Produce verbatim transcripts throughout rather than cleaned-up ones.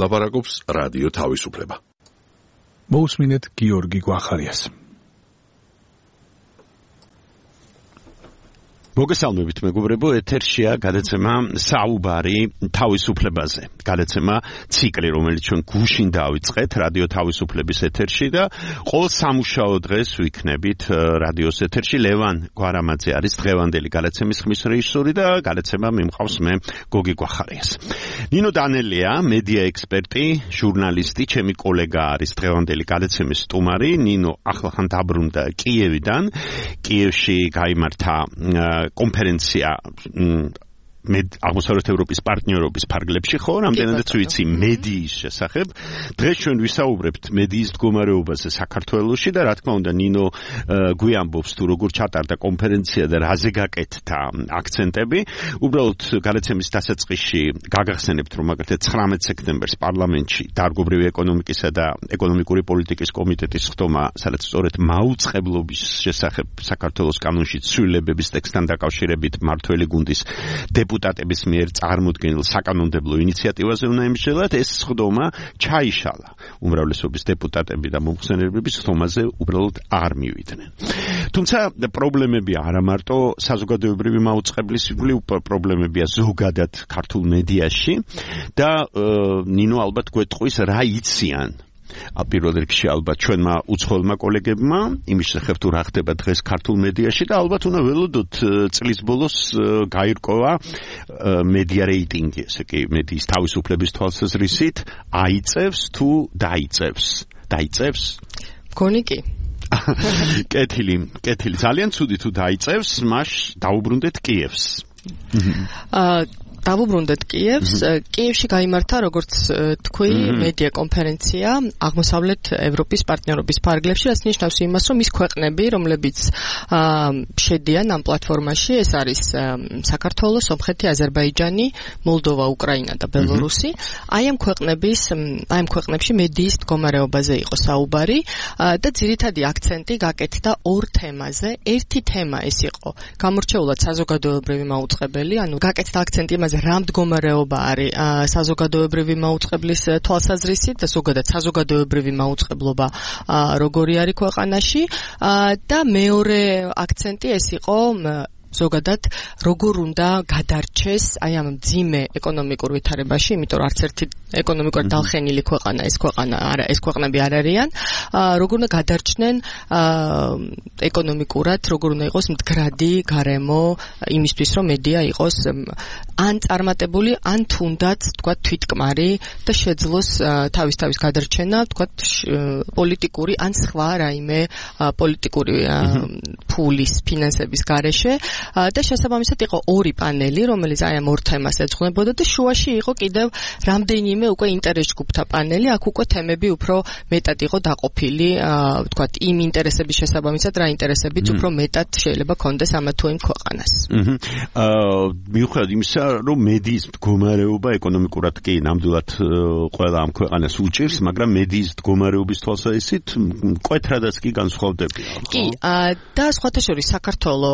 ლაპარაკობს რადიო თავისუფლება. მოусმინეთ გიორგი გვახარიას. მოგესალმებით მეგობრებო, ეთერშია გადაცემა საუბარი თავისუფლებაზე. გადაცემა ციკლი, რომელიც ჩვენ გუშინ დავიწყეთ რადიო თავისუფლების ეთერში და ყოველ სამუშაო დღეს ვიქნებით რადიოს ეთერში. ლევან გვარამაძე არის დღევანდელი გადაცემის ხმის რეჟისორი და გადაცემა მიმყავს მე გოგი გვახარიას. ნინო დანელია, მედია ექსპერტი, ჟურნალისტი, ჩემი კოლეგა არის დღევანდელი გადაცემის სტუმარი. ნინო ახლახან დაბრუნდა კიევიდან. კიევში გაიმართა კონფერენცია აღმოსავლეთ ევროპის პარტნიორობის ფარგლებში, ხო, რამდენადაც ვიცი მედიის შესახებ. დღეს ჩვენ ვისაუბრებთ მედიის მდგომარეობაზე საქართველოში და რა თქმა უნდა ნინო გვიამბობს თუ როგორ ჩატარდა კონფერენცია და რაზე გაკეთდა აქცენტები. უბრალოდ გადაცემის დასაწყისში გაგახსენებთ, რომ მაგალითად ცხრამეტ სექტემბერს პარლამენტში დარგობრივი ეკონომიკისა და ეკონომიკური პოლიტიკის კომიტეტის ხდომა, სადაც სწორედ მაუწყებლობის შესახებ საქართველოს კანონში ცვლილებების ტექსტთან დაკავშირებით მმართველი გუნდის დეპუტატების მიერ წარმოდგენილ საკანონმდებლო ინიციატივაზე უნდა ემსჯელოთ. ეს ხდომა ჩაიშალა. უმრავლესობის დეპუტატები და მომხსენებლების ხდომაზე უბრალოდ არ მივიდნენ. თუმცა პრობლემები არა მარტო საზოგადოებრივი მაუწყებლის იგივე პრობლემებია ზოგადად ქართულ მედიაში და ნინო ალბათ გვეტყვის რა იციან პირველ რიგში ალბათ ჩვენმა უცხოელმა კოლეგებმა იმის შესახებ თუ რა ხდება დღეს ქართულ მედიაში და ალბათ უნდა ველოდოთ წლის ბოლოს გაირკვევა მედია რეიტინგი, ესე კი მედიის თავისუფლების თვალსაზრისით აიწევს თუ დაიწევს? დაიწევს? მგონი კი. კეთილი, კეთილი, ძალიან ცუდი თუ დაიწევს, მას დაუბრუნდეთ კიევს. აა დავუბრუნდეთ კიევს. კიევში გაიმართა, როგორც თქვი, მედია კონფერენცია აღმოსავლეთ ევროპის პარტნიორობის ფარგლებში, რაც ნიშნავს იმას, რომ ის ქვეყნები, რომლებიც შედიან ამ პლატფორმაში, ეს არის საქართველო, სომხეთი, აზერბაიჯანი, მოლდოვა, უკრაინა და ბელორუსი. აი ამ ქვეყნების, აი ამ ქვეყნებში მედიის მდგომარეობაზე იყო საუბარი და ძირითადი აქცენტი გაკეთდა ორ თემაზე. ერთი თემა ეს იყო გამორჩეულად საზოგადოებრივი მაუწყებელი, ანუ გაკეთდა აქცენტი იმაზე, რა მდგომარეობა არის საზოგადოებრივი მაუწყებლის თვალსაზრისით და ზოგადად საზოგადოებრივი მაუწყებლობა როგორი არის ქვეყანაში და მეორე აქცენტი ეს იყო ზოგადად როგორ უნდა გადარჩეს აი ამ მძიმე ეკონომიკურ ვითარებაში, იმიტომ რომ არც ერთი ეკონომიკურად დალხენილი ქვეყანა ეს ქვეყანა არა, ეს ქვეყნები არ არიან, როგორ უნდა გადარჩნენ ეკონომიკურად, როგორ უნდა იყოს მდგრადი გარემო იმისთვის, რომ მედია იყოს ან წარმატებული, ან თუნდაც თქვა თვითკმარი და შეძლოს თავის თავის გადარჩენა, თქვა პოლიტიკური ან სხვა რაიმე პოლიტიკური ფულის ფინანსების გარეშე. და შესაბამისად იყო ორი პანელი, რომელიც აი ამ ორ თემას ეძღვნებოდა და შუაში იყო კიდევ რამდენიმე უკვე ინტერეს ჯგუფთა პანელი, აქ უკვე თემები უფრო მეტად იყო დაყოფილი, ვთქვათ, იმ ინტერესების შესაბამისად, რა ინტერესებიც უფრო მეტად შეიძლება კონდეს ამა თუ იმ ქვეყანას. აა მიუხედავად იმისა, რომ მედიის მდგომარეობა ეკონომიკურად კი ნამდვილად ყველა ამ ქვეყანას უჭირს, მაგრამ მედიის მდგომარეობის თვალსაზრისით მკვეთრადაც კი განსხვავდებიან. კი, და სხვათა შორის საქართველო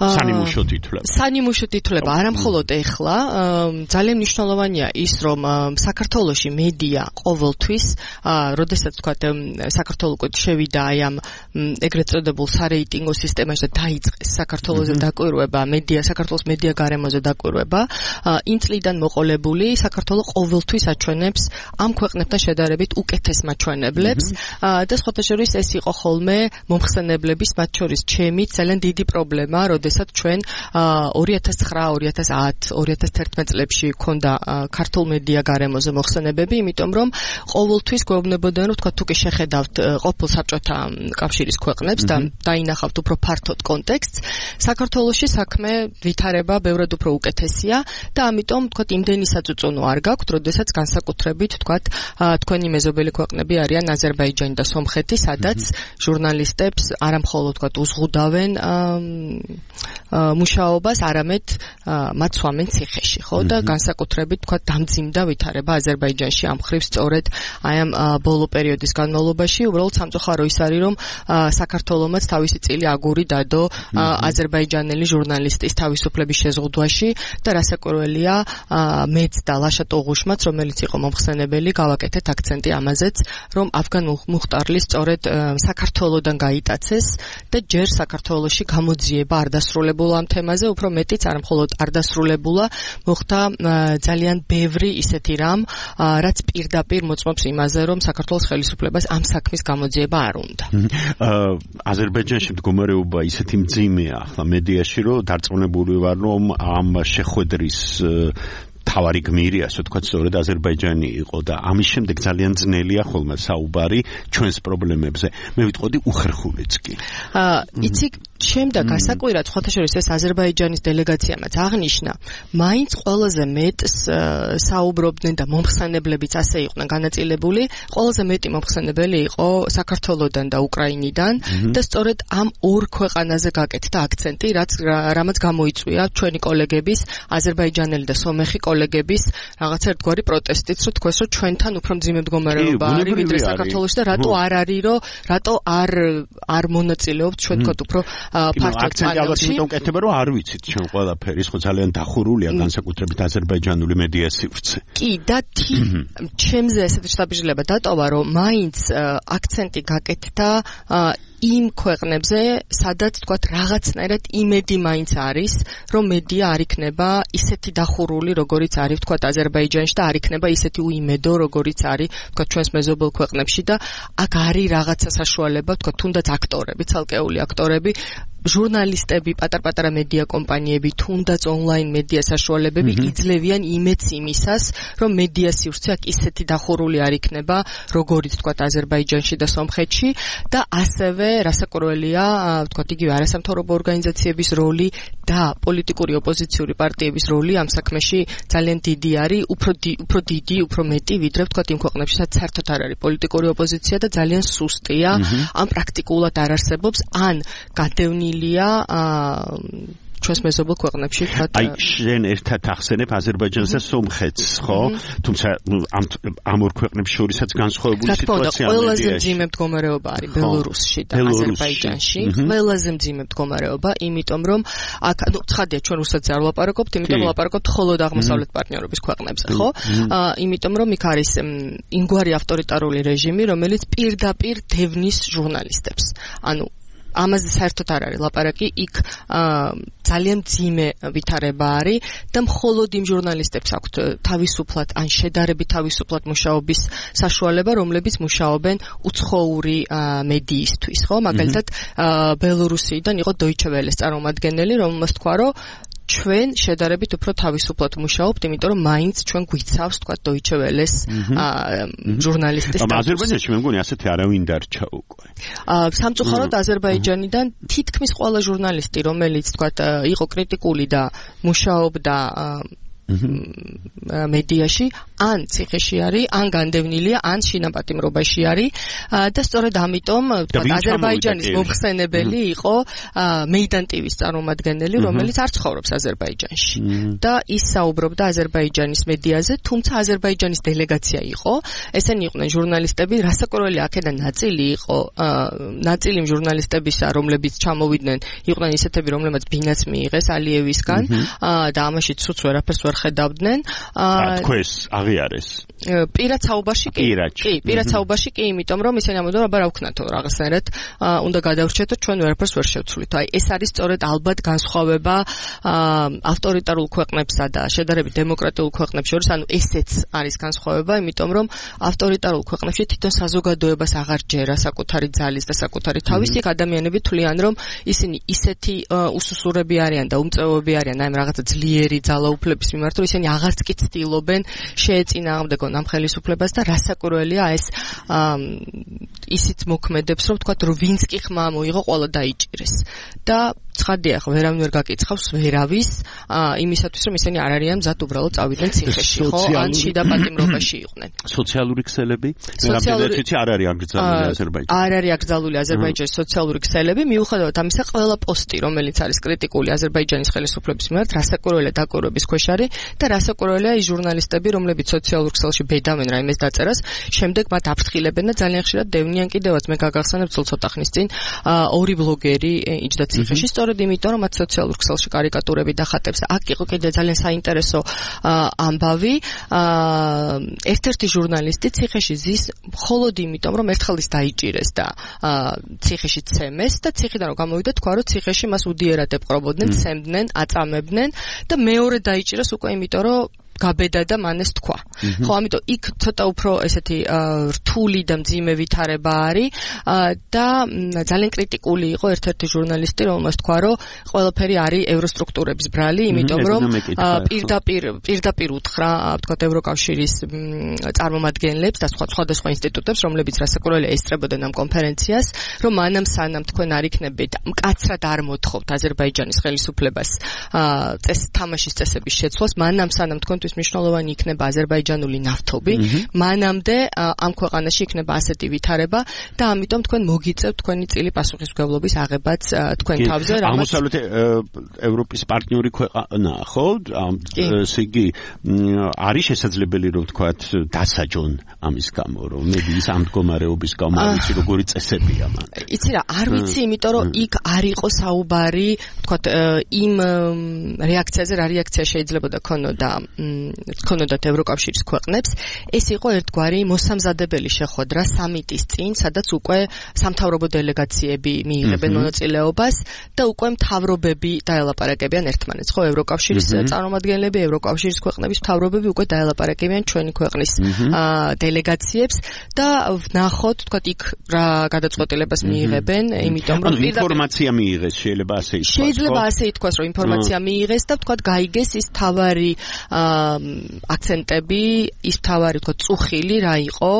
სანიმუშო თითლება. სანიმუშო თითლება არა მხოლოდ ეხლა, ძალიან მნიშვნელოვანია ის, რომ საქართველოში მედია ყოველთვის, როდესაც თქვა საქართველო უკვე შევიდა აი ამ ეგრეთ წოდებულ სარეიტინგო სისტემაში და დაიწყეს საქართველოზე დაკვირვება, მედია საქართველოს მედია გარემოზე დაკვირვება, იმ წლიდან მოყოლებული საქართველო ყოველთვის აჩვენებს ამ ქვეყნებთან შედარებით უკეთეს მაჩვენებლებს და სხვათა შორის ეს იყო ხოლმე მომხსენებლების, მათ შორის ჩემი ძალიან დიდი პრობლემა, როდესაც ჩვენ ორი ათას ცხრა, ორი ათას ათი, ორი ათას თერთმეტ წლებში ქონდა ქართულ მედია გარემოზე მოხსენებები, იმიტომ რომ ყოველთვის გვეუბნებოდნენ, რომ თქვა თუ კი შეხედავთ ყოფილ საბჭოთა კავშირის ქვეყნებს და დაინახავთ უფრო ფართოდ კონტექსტს, საქართველოში საქმე ვითარება ბევრად უფრო უკეთესია და ამიტომ თქვა იმდენი საწუწუნო არ გაქვთ, როდესაც განსაკუთრებით თქვა თქვენი მეზობელი ქვეყნები არიან აზერბაიჯანი და სომხეთი, სადაც ჟურნალისტებს არა მხოლოდ თქვა უზღუდავენ მუშაობას, არამედ მათ სვამენ ციხეში, ხო? და განსაკუთრებით თქვა დამძიმდა ვითარება აზერბაიჯანში ამ ხრივ სწორედ აი ამ ბოლო პერიოდის განმავლობაში, უბრალოდ სამწუხარო ის არის, რომ საქართველომაც თავისი წილი აგური დადო აზერბაიჯანელი ჟურნალისტის თავისუფლების შეზღუდვაში და რასაკვირველია მეც და ლაშა ტოღუშმაც, რომელიც იყო მომხსენებელი, გავაკეთეთ აქცენტი ამაზეც, რომ ავგან მუხტარლი სწორედ საქართველოდან გაიტაცეს და ჯერ საქართველოში გამოძიება არ დასრულებულა ამ თემაზე, უფრო მეტიც არ მხოლოდ არ დასრულებულა, მოხდა ძალიან ბევრი ისეთი რამ, რაც პირდაპირ მოწმობს იმაზე, რომ საქართველოს ხელისუფლებას ამ საქმის გამოძიება არ უნდა. აზერბაიჯანში მდგომარეობა ისეთი მძიმეა ახლა მედიაში, რომ დარწმუნებული ვარ, რომ ამ შეხვედრის თავარი გმირი, ასე ვთქვათ, სწორედ აზერბაიჯანი იყო და ამის შემდეგ ძალიან ძნელია ხოლმე საუბარი ჩვენს პრობლემებზე. მე ვიტყოდი უხერხულიც კი. აა, იცი, შემდეგ გასაკვირად, სხვათა შორის ეს აზერბაიჯანის დელეგაციამაც აღნიშნა, მაინც ყველაზე მეტს საუბრობდნენ და მომხსენებლებიც ასე იყვნენ განაწილებული, ყველაზე მეტი მომხსენებელი იყო საქართველოდან და უკრაინიდან და სწორედ ამ ორ ქვეყანაზე გაკეთდა აქცენტი, რაც რამაც გამოიწვია ჩვენი კოლეგების, აზერბაიჯანელი და სომეხი კოლეგების რაღაცა ერთგვარი პროტესტიც, რომ თქვეს, რომ ჩვენთან უფრო მძიმე მდგომარეობა არის ვიდრე საქართველოში და რატო არ არის, რომ რატო არ არ მონაწილეობთ ჩვენ თქვათ უფრო ფართოდ პანელში. იმიტომ კეთება, რომ არ ვიცით ჩვენ ყველაფერი, ხო ძალიან დახურულია განსაკუთრებით აზერბაიჯანული მედია სივრცე. კი, და ჩემზე ესეთი შთაბეჭდილება დატოვა, რომ მაინც აქცენტი გაკეთდა იმ ქვეყნებზე, სადაც თქვათ რაღაცნაირად იმედი მაინც არის, რომ მედია არ იქნება ისეთი დახურული, როგორიც არის თქვათ აზერბაიჯანში და არ იქნება ისეთი უიმედო, როგორიც არის თქვათ ჩვენს მეზობელ ქვეყნებში და აქ არის რაღაცა საშუალება, თქვათ თუნდაც აქტორები, ცალკეული აქტორები, ჟურნალისტები, პატარ-პატარა მედია კომპანიები, თუნდაც ონლაინ მედია საშუალებები იძლევიან იმედს იმისას, რომ მედია სივრცე აქ ისეთი დახურული არ იქნება, როგორიც თქვათ აზერბაიჯანში და სომხეთში და ასევე რასაკვირველია, თქვათ იგივე არასამთავრობო ორგანიზაციების როლი და პოლიტიკური ოპოზიციური პარტიების როლი ამ საქმეში ძალიან დიდი არის, უფრო უფრო დიდი, უფრო მეტი, ვიდრე თქვათ იმ ქვეყნებში, სადაც საერთოდ არ არის პოლიტიკური ოპოზიცია და ძალიან სუსტია, ან პრაქტიკულად არ არსებობს, ან გადევნილია ჩვენს მეზობელ ქვეყნებში თქვათ. აი, შენ ერთად ახსენებ აზერბაიჯანს და სომხეთს, ხო? თუმცა ამ ამ ორ ქვეყნებს შორისაც განსხვავებული სიტუაცია მედიაში. ყველაზე მძიმე მდგომარეობა არის ბელორუსში და აზერბაიჯანში. ყველაზე მძიმე მდგომარეობა, იმიტომ რომ აქ ცხადია ჩვენ რუსეთს არ ვლაპარაკობთ, იმიტომ ვლაპარაკობთ მხოლოდ აღმოსავლეთ პარტნიორობის ქვეყნებზე, ხო? იმიტომ რომ იქ არის იმგვარი ავტორიტარული რეჟიმი, რომელიც პირდაპირ დევნის ჟურნალისტებს. ანუ ამაზე საერთოდ არ არის ლაპარაკი, იქ ძალიან მძიმე ვითარება არის და მხოლოდ იმ ჟურნალისტებს აქვთ თავისუფლად ან შედარებით თავისუფლად მუშაობის საშუალება, რომლებიც მუშაობენ უცხოური მედიისთვის, ხო? მაგალითად, ბელორუსიდან იყო Deutsche Welle-ის წარმომადგენელი, რომელმაც თქვა, რომ ჩვენ შედარებით უფრო თავისუფლად მუშაობთ, იმიტომ რომ მაინც ჩვენ გვიცავს, თქვა Deutsche Welle-ის ჟურნალისტის სტატუსი. აზერბაიჯანში მე მგონი ასეთი არავინ დარჩა უკვე. სამწუხაროდ აზერბაიჯანიდან თითქმის ყველა ჟურნალისტი, რომელიც თქვა იყო კრიტიკული და მუშაობდა მედიაში, ან ციხეში არის, ან განდევნილია, ან შინაპატიმრობაში არის და სწორედ ამიტომ თქვა აზერბაიჯანის მომხსენებელი იყო მეიდან ტივის წარმომადგენელი, რომელიც არ ცხოვრობს აზერბაიჯანში და ის საუბრობდა აზერბაიჯანის მედიაზე, თუმცა აზერბაიჯანის დელეგაცია იყო, ესენი იყვნენ ჟურნალისტები, რასაკვირველია აქედან ნაწილი იყო, ნაწილი ჟურნალისტებისა, რომლებიც ჩამოვიდნენ, იყვნენ ისეთები, რომლებმაც ბინაც მიიღეს ალიევისგან და ამაში ცუც ვერაფერს ვერ ხედავდნენ. თქვენს აღიარეს. პირად საუბარში კი. კი, პირად საუბარში კი, იმიტომ რომ ისინი ამბობდნენ, აბა რა ვქნათო, რაღაცნაირად უნდა გადავრჩეთო, ჩვენ ვერაფერს ვერ შევცვლით. აი, ეს არის სწორედ ალბათ განსხვავება ავტორიტარულ ქვეყნებსა და შედარებით დემოკრატიულ ქვეყნებს შორის, ანუ ესეც არის განსხვავება, იმიტომ რომ ავტორიტარულ ქვეყნებში თვითონ საზოგადოებას აღარ ჯერა საკუთარი ძალის და საკუთარი თავის, იქ ადამიანები თვლიან, რომ ისინი ისეთი უსუსურები არიან და უმწვევები არიან, აი, რაღაცა ძლიერი ძალაუფლების მიმართ, მიმართ, რომ ისინი აღარც კი ცდილობენ შეეწინააღმდეგონ ამ ხელისუფლებას და რასაკვირველია ეს ისიც მოქმედებს, რომ თქვა, რომ ვინც კი ხმა მოიღო, ყველა დაიჭირეს. და ცხადია, ხო, ვერავინ ვერ გაკითხავს ვერავის იმისათვის, რომ ისინი არ არიან მზად უბრალოდ წავიდნენ ციხეში, ხო, ან შიდა პატიმრობაში იყვნენ. სოციალური ქსელები? რამდენად არ არის აკრძალული აზერბაიჯანში? არ არის აკრძალული აზერბაიჯანის სოციალური ქსელები, მიუხედავად ამისა, ყველა პოსტი, რომელიც არის კრიტიკული აზერბაიჯანის ხელისუფლების მიმართ, რასაკვირველია დაკვირვების ქვეშ არის და რასაკვირველია ის ჟურნალისტები, რომლებიც სოციალურ ქსელში ბედავენ რაიმეს დაწერას, შემდეგ მათ აფრთხილებენ და ძალიან ხშირად დევნიან კიდევაც. მე გაგახსენებ ცოტა ხნის წინ ორი ბლოგერი იჯდა ციხეში, სწორედ იმიტომ, რომ მათ სოციალურ ქსელში კარიკატურები დახატებს. აქ იყო კიდე ძალიან საინტერესო ამბავი. ერთ-ერთი ჟურნალისტი ციხეში ზის მხოლოდ იმიტომ, რომ ერთხელ ის დაიჭირეს და ციხეში ცემეს და ციხიდან რომ გამოვიდა, თქვა, რომ ციხეში მას უდიერად ეპყრობოდნენ, ცემდნენ, აწამებდნენ და მეორე დაიჭირეს უკვე იმიტომ, რომ გაბედა და მან ეს თქვა. ხო, ამიტომ იქ ცოტა უფრო ესეთი რთული და მძიმე ვითარება არის და ძალიან კრიტიკული იყო ერთ-ერთი ჟურნალისტი, რომელმაც თქვა, რომ ყველაფერი არის ევროსტრუქტურების ბრალი, იმიტომ რომ პირდაპირ პირდაპირ უთხრა, თქვა, ევროკავშირის წარმომადგენლებს და სხვა სხვადასხვა ინსტიტუტებს, რომლებიც რასაკვირველია ესწრებოდნენ ამ კონფერენციას, რომ მანამ სანამ თქვენ არ იქნებით მკაცრად არ მოთხოვთ აზერბაიჯანის ხელისუფლებას წეს თამაშის წესების შეცვლას, მანამ სანამ თქვენ მნიშვნელოვანი იქნება აზერბაიჯანული ნავთობი, მანამდე ამ ქვეყანაში იქნება ასეთი ვითარება და ამიტომ თქვენ მოგიწევთ თქვენი წილი პასუხისმგებლობის აღებაც თქვენ თავზე, რამაც აღმოსავლეთ ევროპის პარტნიორი ქვეყანა, ხო? ესე იგი არის შესაძლებელი რომ ვთქვათ დასაჯონ ამის გამო, რომ მედიის ამ მდგომარეობის გამო არ ვიცი როგორი წესებია მან. იცი რა, არ ვიცი, იმიტომ რომ იქ არ იყო საუბარი, ვთქვათ, იმ რეაქციაზე, რა რეაქცია შეიძლება ქონოდა ქონოდათ ევროკავშირის ქვეყნებს, ეს იყო ერთგვარი მოსამზადებელი შეხვედრა სამიტის წინ, სადაც უკვე სამთავრობო დელეგაციები მიიღებენ მონაწილეობას და უკვე მთავრობები დაელაპარაკებიან ერთმანეთს, ხო, ევროკავშირის წარმომადგენლები, ევროკავშირის ქვეყნების მთავრობები უკვე დაელაპარაკებიან ჩვენი ქვეყნის დელეგაციებს და ვნახოთ, თქვათ, იქ რა გადაწყვეტილებას მიიღებენ, იმიტომ რომ ინფორმაცია მიიღეს, შეიძლება ასე ითქვას. შეიძლება ასე ითქვას, რომ ინფორმაცია მიიღეს და თქვათ, გაიგეს ის თავარი აქცენტები, ის თავარი, თქვა, წუხილი რა იყო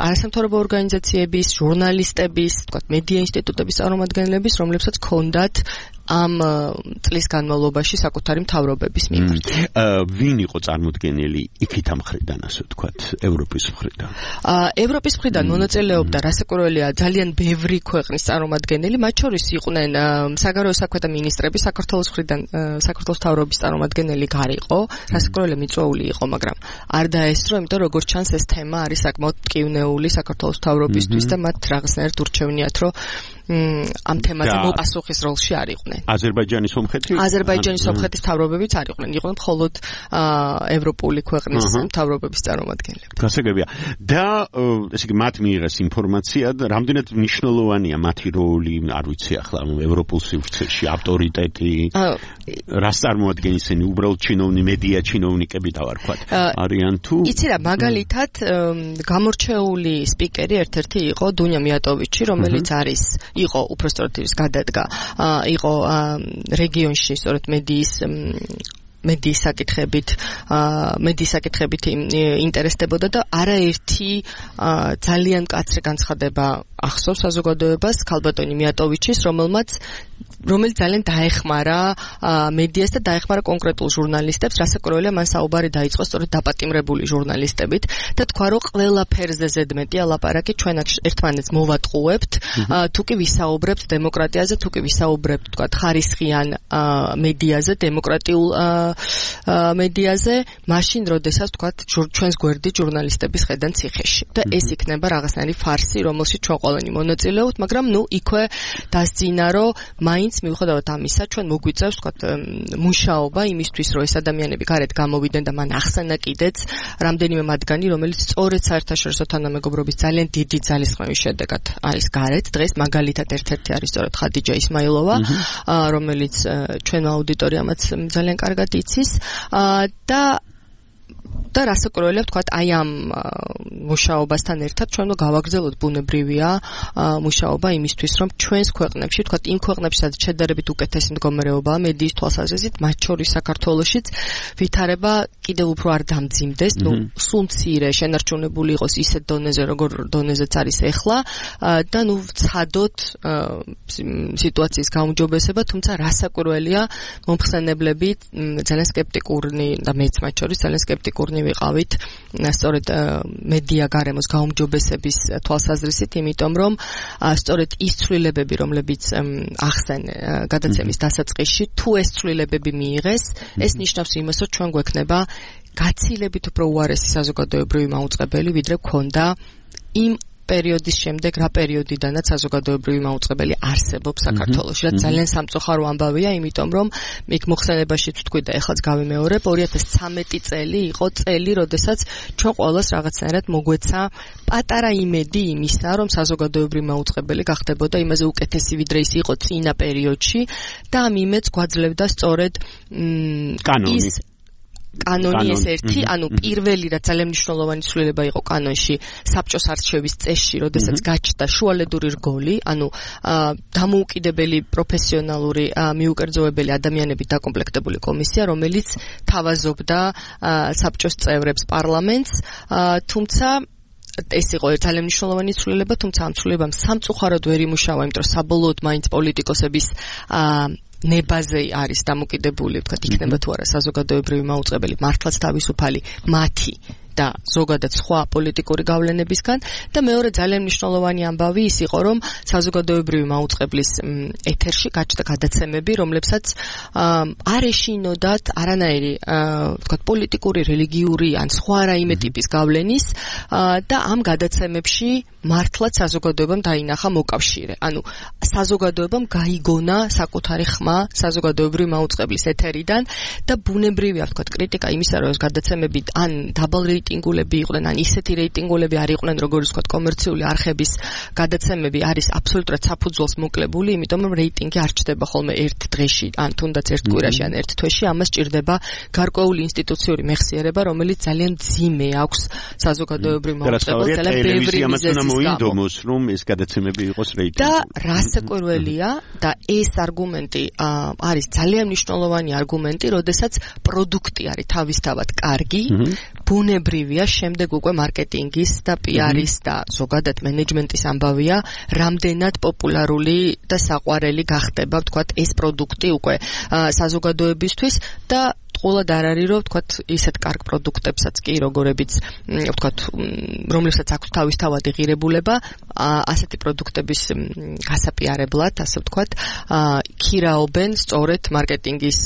არასამთავრობო ორგანიზაციების, ჟურნალისტების, თქვა, მედია ინსტიტუტების წარმომადგენლების, რომლებსაც ჰქონდათ ამ წლის განმავლობაში საკუთარი მთავრობების მიმართ. ვინ იყო წარმოდგენილი იქით ამ მხრიდან, ასე ვთქვათ, ევროპის მხრიდან? ევროპის მხრიდან მონაწილეობდა რასაკვირველია ძალიან ბევრი ქვეყნის წარმომადგენელი, მათ შორის იყვნენ საგარეო საქმეთა მინისტრები, საქართველოს მხრიდან საქართველოს მთავრობის წარმომადგენელი გარიყო, რასაკვირველია მიწვეული იყო, მაგრამ არ დაესწრო, იმიტომ რომ როგორც ჩანს ეს თემა არის საკმაოდ მტკივნეული საქართველოს მთავრობისთვის და მათ რაღაცნაირად ურჩევნიათ, რომ ამ თემაზე მოპასუხის როლში არ იყვნენ. აზერბაიჯანის სომხეთი? აზერბაიჯანის სომხეთის მთავრობებიც არ იყვნენ, იყვნენ მხოლოდ ევროპული ქვეყნის მთავრობების წარმომადგენლები. გასაგებია. და ესე იგი მათ მიიღეს ინფორმაცია და რამდენად მნიშვნელოვანია მათი როლი, არ ვიცი ახლა ევროპულ სივრცეში, ავტორიტეტი, რას წარმოადგენს ისინი, უბრალოდ ჩინოვნი მედია ჩინოვნიკები დავარქვათ. არიან თუ? იცი რა, მაგალითად გამორჩეული სპიკერი ერთ-ერთი იყო დუნია მიატოვიჩი, რომელიც არის იყო უпростоრად ის გადადგა იყო რეგიონში სწორედ მედიის მედიის საკითხებით მედიის საკითხებით ინტერესდებოდა და არაერთი ძალიან მკაცრი განცხადება ახსოვს საზოგადოებას ქალბატონი მიატოვიჩის, რომელმაც რომელიც ძალიან დაეხმარა მედიას და დაეხმარა კონკრეტულ ჟურნალისტებს, რასაკვირველია მან საუბარი დაიწყო სწორედ დაპატიმრებული ჟურნალისტებით და თქვა, რომ ყველაფერზე ზედმეტია ლაპარაკი ჩვენ აქ ერთმანეთს მოვატყუებთ, თუ კი ვისაუბრებთ დემოკრატიაზე, თუ კი ვისაუბრებთ, თქვა, ხარისხიან მედიაზე, დემოკრატიულ მედიაზე, მაშინ როდესაც, თქვა, ჩვენს გვერდით ჟურნალისტების ხედან ციხეში. და ეს იქნება რაღაცნაირი ფარსი, რომელშიც ჩვენ ყველანი მონაწილეობთ, მაგრამ ნუ იქვე დასძინა, რომ მაინც მიუხედავად ამისა, ჩვენ მოგვიწევს, ვთქვათ, მუშაობა იმისთვის, რომ ეს ადამიანები გარეთ გამოვიდნენ და მან ახსენა კიდეც რამდენიმე მათგანი, რომელიც სწორედ საერთაშორისო თანამეგობრობის ძალიან დიდი ძალისხმევის შედეგად არის გარეთ. დღეს მაგალითად ერთ-ერთი არის სწორედ ხადიჯა ისმაილოვა, რომელიც ჩვენ აუდიტორიამაც ძალიან კარგად იცის და და რასაკვირველია ვთქვათ, აი ამ მუშაობასთან ერთად ჩვენ უნდა გავაგრძელოთ ბუნებრივია მუშაობა იმისთვის, რომ ჩვენს ქვეყნებში, ვთქვათ, იმ ქვეყნებში, სადაც შედარებით უკეთესი მდგომარეობაა მედიის თვალსაზრისით, მათ შორის საქართველოშიც ვითარება კიდევ უფრო არ დამძიმდეს, ნუ სულ მცირე შენარჩუნებული იყოს ისეთ დონეზე, როგორ დონეზეც არის ეხლა და ნუ ვცადოთ სიტუაციის გაუმჯობესება, თუმცა რასაკვირველია მომხსენებლები ძალიან სკეპტიკურნი და მეც მათ შორის ძალიან სკეპტიკურნი ვიყავით სწორედ მედია გარემოს გაუმჯობესების თვალსაზრისით, იმიტომ რომ სწორედ ის ცვლილებები, რომლებიც ახსენე გადაცემის დასაწყისში, თუ ეს ცვლილებები მიიღეს, ეს ნიშნავს იმას, რომ ჩვენ გვექნება გაცილებით უფრო უარესი საზოგადოებრივი მაუწყებელი, ვიდრე გქონდა იმ პერიოდის შემდეგ, რა პერიოდიდანაც საზოგადოებრივი მაუწყებელი არსებობს საქართველოში. რაც ძალიან სამწუხარო ამბავია, იმიტომ რომ იქ მოხსენებაშიც ვთქვი და ეხლაც გავიმეორებ, ორი ათას ცამეტი წელი იყო წელი, როდესაც ჩვენ ყოველას რაღაცნაირად მოგვეცა პატარა იმედი იმისა, რომ საზოგადოებრივი მაუწყებელი გახდებოდა იმაზე უკეთესი, ვიდრე ის იყო წინა პერიოდში და ამ იმედს გვაძლევდა სწორედ კანონი. კანონი ეს ერთი, ანუ პირველი რაც ძალიან მნიშვნელოვანი ცვლილება იყო კანონში, საბჭოს არჩევის წესში, როდესაც გაჩნდა შუალედური რგოლი, ანუ დამოუკიდებელი პროფესიონალური მიუკერძოებელი ადამიანებით დაკომპლექტებული კომისია, რომელიც თავაზობდა საბჭოს წევრებს, პარლამენტს, თუმცა ეს იყო ძალიან მნიშვნელოვანი ცვლილება, თუმცა ამ ცვლილებამ სამწუხაროდ ვერ იმუშავა, იმიტომ რომ საბოლოოდ მაინც პოლიტიკოსების ნებაზე არის დამოკიდებული, ვთქვათ, იქნება თუ არა საზოგადოებრივი მაუწყებელი მართლაც თავისუფალი მათი და ზოგადად სხვა პოლიტიკური გავლენებისგან და მეორე ძალიან მნიშვნელოვანი ამბავი ის იყო, რომ საზოგადოებრივი მაუწყებლის ეთერში გაჩნდა გადაცემები, რომლებსაც არ ეშინოდათ არანაირი, ვთქვათ, პოლიტიკური, რელიგიური ან სხვა რაიმე ტიპის გავლენის და ამ გადაცემებში მართლაც საზოგადოებამ დაინახა მოკავშირე. ანუ საზოგადოებამ გაიგონა საკუთარი ხმა საზოგადოებრივი მაუწყებლის ეთერიდან და ბუნებრივია, ვთქვათ, კრიტიკა იმისა, რომ ეს გადაცემები ან დაბალ რეიტინგულები იყვნენ, ან ისეთი რეიტინგულები არ იყვნენ, როგორც ვთქვათ, კომერციული არხების გადაცემები არის აბსოლუტურად საფუძველს მოკლებული, იმიტომ რომ რეიტინგი არ ჩდება ხოლმე ერთ დღეში, ან თუნდაც ერთ კვირაში, ან ერთ თვეში, ამას ჭირდება გარკვეული ინსტიტუციური მეხსიერება, რომელიც ძალიან მძიმე აქვს საზოგადოებრივ მაუწყებელს, ძალიან ბევრი მიზეზის მოინდომოს, რომ ეს გადაცემები იყოს რეიტინგული. და რასაკვირველია და ეს არგუმენტი არის ძალიან მნიშვნელოვანი არგუმენტი, როდესაც პროდუქტი არის თავისთავად კარგი, ბუნებრივია, შემდეგ უკვე მარკეტინგის და პი-არის და ზოგადად მენეჯმენტის ამბავია, რამდენად პოპულარული და საყვარელი გახდება, ვთქვათ, ეს პროდუქტი უკვე საზოგადოებისთვის და ყოლად არ არის, რომ ვთქვათ, ისეთ კარგ პროდუქტებსაც კი, როგორებიც, ვთქვათ, რომლებსაც აქვს თავისთავადი ღირებულება, ასეთი პროდუქტების გასაპიარებლად, ასე ვთქვათ, ქირაობენ სწორედ მარკეტინგის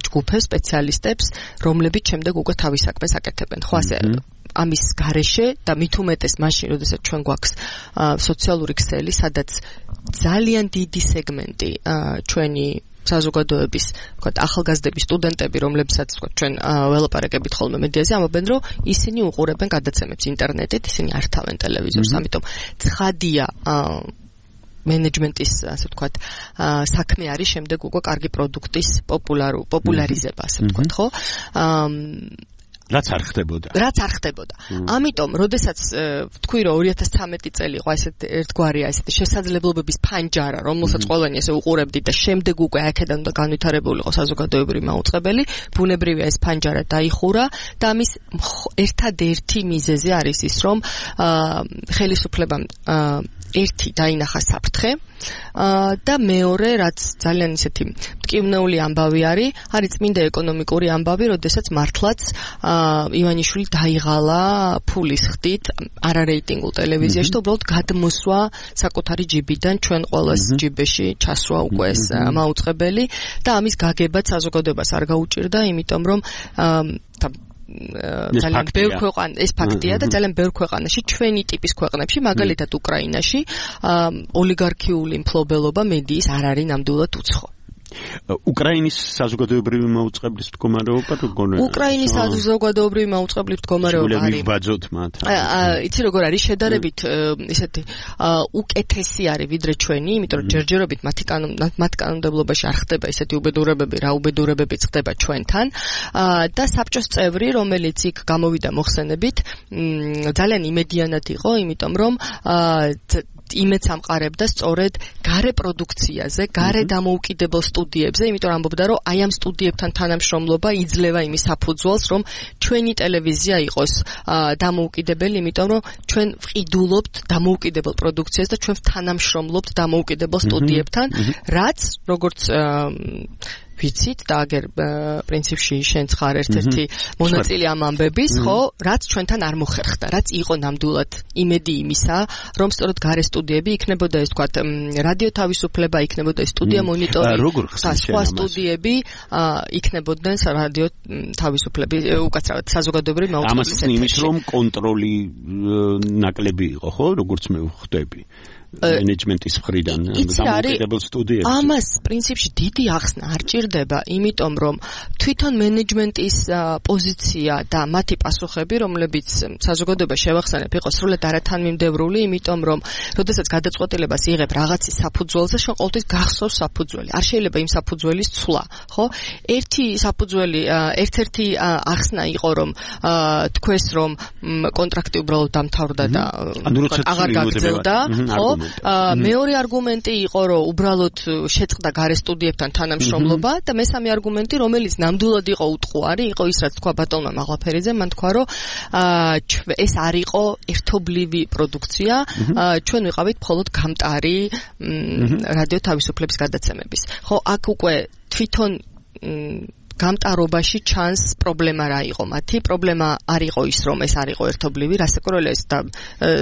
ჯგუფებს, სპეციალისტებს, რომლებიც შემდეგ უკვე თავის საქმეს აკეთებენ. ხო, ასე ამის გარეშე და მით უმეტეს მაშინ, როდესაც ჩვენ გვაქვს სოციალური ქსელი, სადაც ძალიან დიდი სეგმენტი ჩვენი საზოგადოების, ვთქვათ, ახალგაზრდები, სტუდენტები, რომლებსაც, ვთქვათ, ჩვენ ველაპარაკებით ხოლმე მედიაზე, ამბობენ, რომ ისინი უყურებენ გადაცემებს ინტერნეტით, ისინი არ თავენ ტელევიზორს, ამიტომ ცხადია მენეჯმენტის, ასე ვთქვათ, საქმე არის შემდეგ უკვე კარგი პროდუქტის პოპულარუ პოპულარიზება, ასე ვთქვათ, ხო? რაც არ ხდებოდა. რაც არ ხდებოდა. ამიტომ, როდესაც ვთქვი, რომ ორი ათას ცამეტი წელი იყო ესეთ ერთგვარია ესეთი შესაძლებლობების ფანჯარა, რომელსაც ყველანი ესე უყურებდით და შემდეგ უკვე აქედან უნდა განვითარებული იყო საზოგადოებრივი მაუწყებელი, ბუნებრივია ეს ფანჯარა დაიხურა და ამის ერთადერთი მიზეზი არის ის, რომ ხელისუფლებამ ერთი დაინახა საფრთხე და მეორე, რაც ძალიან ისეთი მტკივნეული ამბავი არის, არის წმინდა ეკონომიკური ამბავი, როდესაც მართლაც ივანიშვილი დაიღალა ფულის ხდით არარეიტინგულ ტელევიზიაში და უბრალოდ გადმოსვა საკუთარი ჯიბიდან ჩვენ ყოველს ჯიბეში ჩასვა უკვე ეს მაუწყებელი და ამის გაგებაც საზოგადოებას არ გაუჭირდა, იმიტომ რომ ძალიან ბევრ ქვეყანაში ეს ფაქტია და ძალიან ბევრ ქვეყანაში ჩვენი ტიპის ქვეყნებში, მაგალითად უკრაინაში, ოლიგარქიული მფლობელობა მედიის არ არის ნამდვილად უცხო. უკრაინის საზოგადოებრივი მაუწყებლის მდგომარეობა როგორ უკრაინის საზოგადოებრივი მაუწყებლის მდგომარეობა არის ვიბაძოთ მათ იცი როგორ არის შედარებით ისეთი უკეთესი არის ვიდრე ჩვენი იმიტომ რომ ჯერჯერობით მათი მათ კანონმდებლობაში არ ხდება ისეთი უბედურებები რა უბედურებებიც ხდება ჩვენთან და საბჭოს წევრი რომელიც იქ გამოვიდა მოხსენებით ძალიან იმედიანად იყო იმიტომ რომ იმედს ამყარებდა სწორედ გარე პროდუქციაზე, გარე დამოუკიდებელ სტუდიებზე, იმიტომ რომ ამბობდა რომ აი ამ სტუდიებთან თანამშრომლობა იძლევა იმის საფუძველს, რომ ჩვენი ტელევიზია იყოს დამოუკიდებელი, იმიტომ რომ ჩვენ ვყიდულობთ დამოუკიდებელ პროდუქციას და ჩვენ თანამშრომლობთ დამოუკიდებელ სტუდიებთან, რაც როგორც ვიცით და აგერ პრინციპში შენც ხარ ერთ-ერთი მონაწილე ამ ამბების, ხო, რაც ჩვენთან არ მოხერხდა, რაც იყო ნამდვილად იმედი იმისა, რომ სწორედ გარე სტუდიები იქნებოდა ეს თქვა რადიო თავისუფლება, იქნებოდა ეს სტუდია მონიტორი და სხვა სტუდიები იქნებოდნენ რადიო თავისუფლების უკაცრავად საზოგადოებრივი მაუწყებლის ეთერში. ამას იმით რომ კონტროლი ნაკლები იყო, ხო, როგორც მე ვხვდები. მენეჯმენტის მხრიდან დამოუკიდებელ სტუდიებში. ამას პრინციპში დიდი ახსნა არ ჭირდება, იმიტომ რომ თვითონ მენეჯმენტის პოზიცია და მათი პასუხები, რომლებიც საზოგადოება შევახსენებ, იყო სრულად არათანმიმდევრული, იმიტომ რომ როდესაც გადაწყვეტილებას იღებ რაღაცის საფუძველზე, შენ ყოველთვის გახსოვს საფუძველი. არ შეიძლება იმ საფუძველის ცვლა, ხო? ერთი საფუძველი, ერთ-ერთი ახსნა იყო, რომ თქვეს რომ კონტრაქტი უბრალოდ დამთავრდა და აღარ გაგრძელდა, ხო? მეორე არგუმენტი იყო, რომ უბრალოდ შეწყდა გარე სტუდიებთან თანამშრომლობა და მესამე არგუმენტი, რომელიც ნამდვილად იყო უტყუარი, იყო ის, რაც თქვა ბატონმა მაღლაფერიძემ, მან თქვა, რომ ეს არ იყო ერთობლივი პროდუქცია, ჩვენ ვიყავით მხოლოდ გამტარი რადიო თავისუფლების გადაცემების. ხო, აქ უკვე თვითონ გამტარობაში ჩანს პრობლემა რა იყო მათი. პრობლემა არ იყო ის, რომ ეს არ იყო ერთობლივი, რასაკვირველია და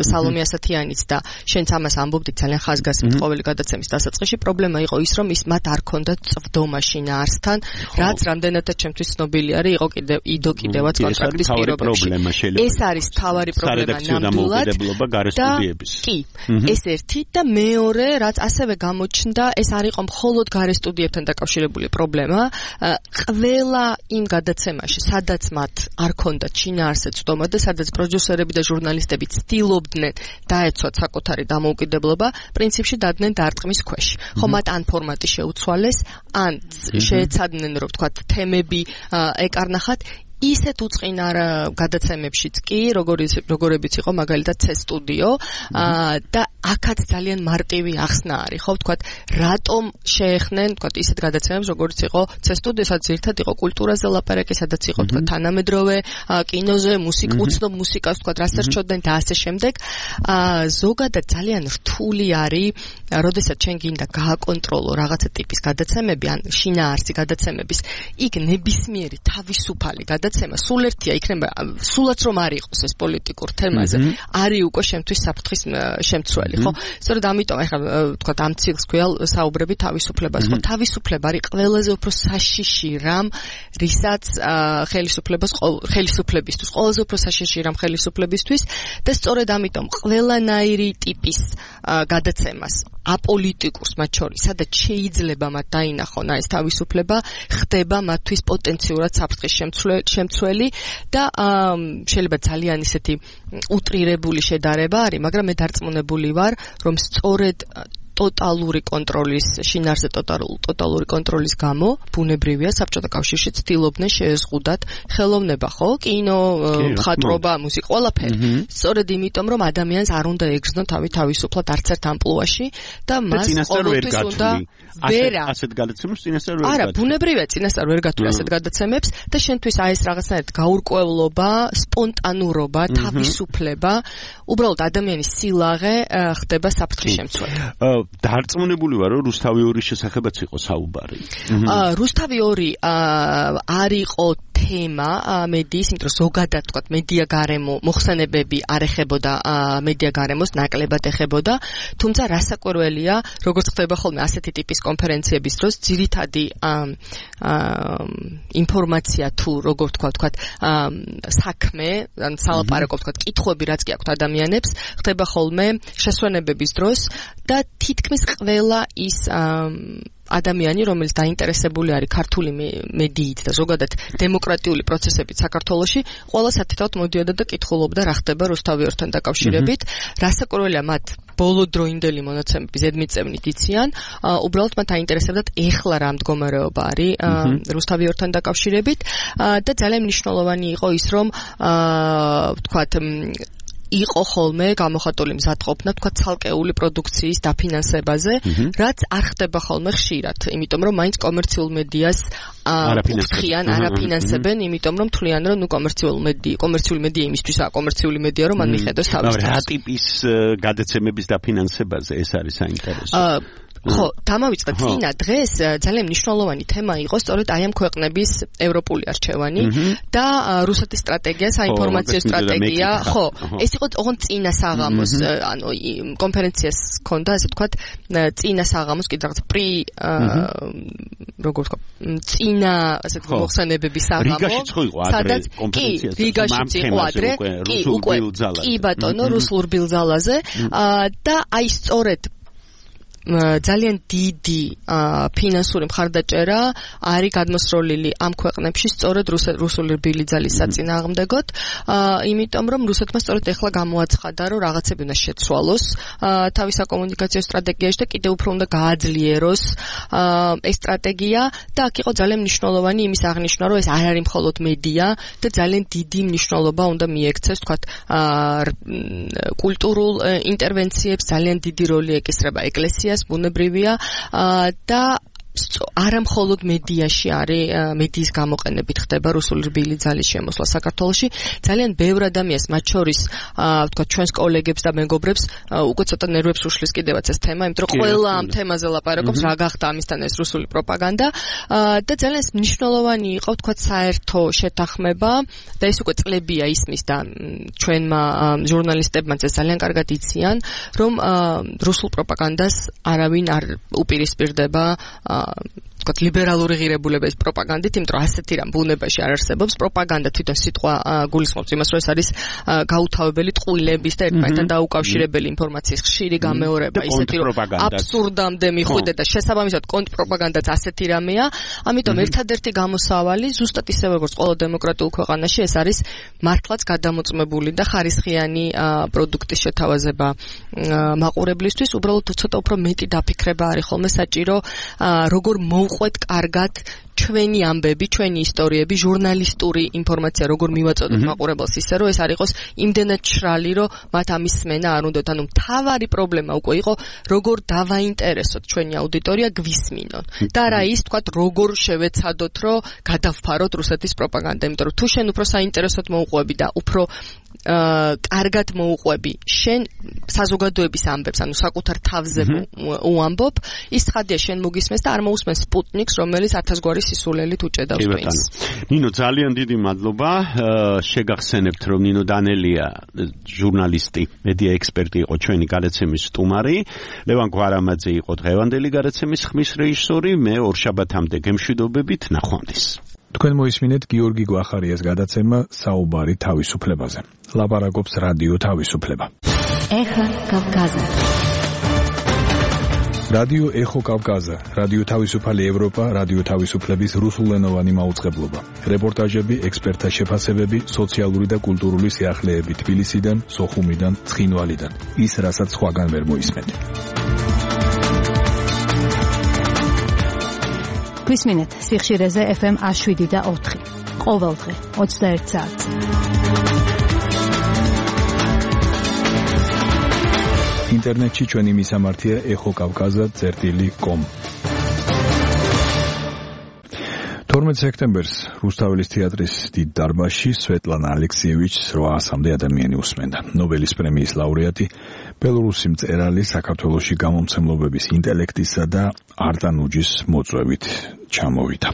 სალომე ასათიანიც და შენც ამას ამბობდით ძალიან ხაზგასმით ყოველი გადაცემის დასაწყისში. პრობლემა იყო ის, რომ ის მათ არ ქონდათ წვდომა შინაარსთან, რაც რამდენადაც ჩემთვის ცნობილი არის, იყო კიდევ იდო კიდევაც კონტრაქტის პირობებში. ეს არის თავარი პრობლემა ნამდვილად. კი, ეს ერთი და მეორე, რაც ასევე გამოჩნდა, ეს არ იყო მხოლოდ გარე სტუდიებთან დაკავშირებული პრობლემა. ყველა იმ გადაცემაში, სადაც მათ არ ქონდათ შინაარსზე წვდომა და სადაც პროდიუსერები და ჟურნალისტები ცდილობდნენ დაეცვათ საკუთარი დამოუკიდებლობა, პრინციპში დადგნენ დარტყმის ქვეშ. ხო, მათ ან ფორმატი შეუცვალეს, ან შეეცადნენ, რომ ვთქვათ, თემები ეკარნახათ. ისეთ უწყინა გადაცემებშიც კი, როგორებიც იყო მაგალითად C სტუდიო და აქაც ძალიან მარტივი ახსნა არის, ხო, ვთქვათ, რატომ შეეხნენ, ვთქვათ, ისეთ გადაცემებს, როგორც იყო C სტუდიო, სადაც ერთად იყო კულტურაზე ლაპარაკი, სადაც იყო, ვთქვათ, თანამედროვე კინოზე, მუსიკა, უცნობ მუსიკას, ვთქვათ, რასაც რჩოდნენ და ასე შემდეგ. ზოგადად ძალიან რთული არის, როდესაც ჩვენ გინდა გააკონტროლო რაღაცა ტიპის გადაცემები, ან შინაარსი გადაცემების, იქ ნებისმიერი თავისუფალი გადაცემა სულ ერთია, იქნება სულაც რომ არ იყოს ეს პოლიტიკურ თემაზე, არის უკვე შემთთვის საფრთხის შემცველი, ხო? სწორედ ამიტომ ახლა ვთქვათ, ამ ციკლს ქვია საუბრები თავისუფლებას, ხო? თავისუფლება არის ყველაზე უფრო საშიში რამ, რისაც ხელისუფლებას ხელისუფლებისთვის, ყველაზე უფრო საშიში რამ ხელისუფლებისთვის და სწორედ ამიტომ ყველანაირი ტიპის გადაცემას აპოლიტიკურს მათ შორის, სადაც შეიძლება მათ დაინახონ ეს თავისუფლება, ხდება მათთვის პოტენციურად საფრთხის შემცველი და შეიძლება ძალიან ისეთი უტრირებული შედარება არის, მაგრამ მე დარწმუნებული ვარ, რომ სწორედ ტოტალური კონტროლის, შინაარსზე ტოტალური კონტროლის გამო, ბუნებრივია საბჭოთა კავშირში ცდილობდნენ შეეზღუდათ ხელოვნება, ხო? კინო, მხატვრობა, მუსიკა, ყველაფერი. სწორედ იმიტომ, რომ ადამიანს არ უნდა ეგრძნო თავი თავისუფლად არც ერთ ამპლუაში და მას ყოველთვის უნდა ვერა. ასეთ გადაცემებს წინასწარ ვერ გათვლი. არა, ბუნებრივია წინასწარ ვერ გათვლი ასეთ გადაცემებს და შენთვის აი ეს რაღაცნაირად გაურკვევლობა, სპონტანურობა, თავისუფლება, უბრალოდ ადამიანის სილაღე ხდება საფრთხის შემცველი. დარწმუნებული ვარ, რომ რუსთავი ორის შესახებაც იყო საუბარი. რუსთავი ორი არ იყო თემა მედიის, იმიტომ რომ ზოგადად თქვა მედია გარემო მოხსენებები არ ეხებოდა მედია გარემოს, ნაკლებად ეხებოდა, თუმცა რასაკვირველია, როგორც ხდება ხოლმე ასეთი ტიპის კონფერენციების დროს, ძირითადი ინფორმაცია თუ როგორ თქვა, თქვა საქმე, ან სალაპარაკო, თქვა კითხვები, რაც კი აქვთ ადამიანებს, ხდება ხოლმე შესვენებების დროს და თითქმის ყველა ის ადამიანი, რომელიც დაინტერესებული არის ქართული მედიით და ზოგადად დემოკრატიული პროცესებით საქართველოში, ყველა სათითაოდ მოდიოდა და კითხულობდა რა ხდება რუსთავიორთან დაკავშირებით, რასაკვირველია მათ ბოლოდროინდელი მონაცემები ზედმიწევნით იციან, უბრალოდ მათ აინტერესებდათ ეხლა რა მდგომარეობა არის რუსთავიორთან დაკავშირებით და ძალიან მნიშვნელოვანი იყო ის, რომ ვთქვათ იყო ხოლმე გამოხატული მზადყოფნა, თქვა ცალკეული პროდუქციის დაფინანსებაზე, რაც არ ხდება ხოლმე ხშირად, იმიტომ რომ მაინც კომერციულ მედიას არაფინანსებენ, არაფინანსებენ, იმიტომ რომ თვლიან რომ ნუ კომერციულ მედია, კომერციული მედია იმისთვისაა კომერციული მედია, რომ მან მიხედოს თავის თავს. რა ტიპის გადაცემების დაფინანსებაზე ეს არის საინტერესო? ხო, დამავიწყდა წინა დღეს ძალიან მნიშვნელოვანი თემა იყო სწორედ აი ამ ქვეყნების ევროპული არჩევანი და რუსეთის სტრატეგია, საინფორმაციო სტრატეგია, ხო, ეს იყო ოღონდ წინა საღამოს, ანუ კონფერენციას ჰქონდა, ასე ვთქვათ, წინა საღამოს კიდე რაღაც პრი როგორ ვთქვა, წინა, ასე ვთქვათ, მოხსენებების საღამო. რიგაშიც ხო იყო ადრე კონფერენცია. კი, რიგაშიც იყო ადრე, კი, უკვე, კი ბატონო, რუსულ ბილძალაზე და აი სწორედ ძალიან დიდი ფინანსური მხარდაჭერა არის გადმოსროლილი ამ ქვეყნებში სწორედ რუსული რბილი-ძალის საწინააღმდეგოდ, იმიტომ რომ რუსეთმა სწორედ ეხლა გამოაცხადა, რომ რაღაცები უნდა შეცვალოს თავის საკომუნიკაციო სტრატეგიაში და კიდევ უფრო უნდა გააძლიეროს ეს სტრატეგია და აქ იყო ძალიან მნიშვნელოვანი იმის აღნიშვნა, რომ ეს არ არის მხოლოდ მედია და ძალიან დიდი მნიშვნელობა უნდა მიექცეს, თქვათ, კულტურულ ინტერვენციებს, ძალიან დიდი როლი ეკისრება ეკლესიას, ბუნებრივია და არა მხოლოდ მედიაში არის, მედიის გამოყენებით ხდება რუსული რბილი ძალის შემოსვლა საქართველოში. ძალიან ბევრ ადამიანს, მათ შორის, ვთქვათ, ჩვენს კოლეგებს და მეგობრებს უკვე ცოტა ნერვებს უშლის კიდევაც ეს თემა, იმიტომ რომ ყველა ამ თემაზე ლაპარაკობს, რა გახდა ამისთან ეს რუსული პროპაგანდა და ძალიან მნიშვნელოვანი იყო, ვთქვათ, საერთო შეთანხმება და ეს უკვე წლებია ისმის და ჩვენმა ჟურნალისტებმაც ეს ძალიან კარგად იციან, რომ რუსულ პროპაგანდას არავინ არ უპირისპირდება ვთქვათ, ლიბერალური ღირებულების პროპაგანდით, იმიტომ რომ ასეთი რამ ბუნებაში არ არსებობს. პროპაგანდა თვითონ სიტყვა გულისხმობს იმას, რომ ეს არის გაუთავებელი ტყუილების და ერთმანეთთან დაუკავშირებელი ინფორმაციის ხშირი გამეორება, ისეთი რომ აბსურდამდე მიხვიდე და შესაბამისად კონტრპროპაგანდაც ასეთი რამეა. ამიტომ ერთადერთი გამოსავალი ზუსტად ისევე როგორც ყველა დემოკრატიულ ქვეყანაში ეს არის მართლაც გადამოწმებული და ხარისხიანი პროდუქტის შეთავაზება მაყურებლისთვის. უბრალოდ ცოტა უფრო მეტი დაფიქრება არის ხოლმე საჭირო, როგორ მოვყვეთ კარგად ჩვენი ამბები, ჩვენი ისტორიები, ჟურნალისტური ინფორმაცია, როგორ მივაწოდოთ მაყურებელს ისე, რომ ეს არ იყოს იმდენად შრალი, რომ მათ ამის სმენა არ უნდათ. ანუ მთავარი პრობლემა უკვე იყო, როგორ დავაინტერესოთ ჩვენი აუდიტორია გვისმინონ. და რა ის, თქვათ, როგორ შევეცადოთ, რომ გადავფაროთ რუსეთის პროპაგანდა, იმიტომ რომ თუ შენ უფრო საინტერესოდ მოუყვები და უფრო კარგად მოუყვები შენ საზოგადოების ამბებს, ანუ საკუთარ თავზე უამბობ, ის ცხადია შენ მოგისმენს და არ მოусმენს სპუტნიკს, რომელიც ათასგვარი სისულელით უჭედავს twins. ნინო, ძალიან დიდი მადლობა. შეგახსენებთ, რომ ნინო დანელია ჟურნალისტი, მედია ექსპერტი იყო ჩვენი გადაცემის სტუმარი, ლევან გვარამაძე იყო დღევანდელი გადაცემის ხმის რეჟისორი, მე ორშაბათამდე გემშვიდობებით, ნახვამდის. თქვენ მოისმინეთ გიორგი გვახარიას გადაცემა საუბარი თავისუფლებაზე. ლაპარაკობს რადიო თავისუფლება. ეხა კავკაზა. რადიო ეხო კავკაზა, რადიო თავისუფალი ევროპა, რადიო თავისუფლების რუსულენოვანი მაუწყებლობა. რეპორტაჟები, ექსპერტთა შეფასებები, სოციალური და კულტურული სიახლეები თბილისიდან, სოხუმიდან, ცხინვალიდან. ის, რასაც სხვაგან ვერ მოისმენთ. გვისმინეთ სიხშირეზე ეფ ემ შვიდი და ოთხი. ყოველდღე ოცდაერთ საათზე. ინტერნეტში ჩვენი მისამართია ეხო კავკაზა წერტილი კომ. თორმეტ სექტემბერს რუსთაველის თეატრის დიდ დარბაზში სვეტლანა ალექსიევიჩს რვაასამდე ადამიანი უსმენდა. ნობელის პრემიის ლაურეატი, ბელორუსი მწერალი საქართველოში გამომცემლობების ინტელექტისა და არტანუჯის მოწვევით ჩამოვიდა.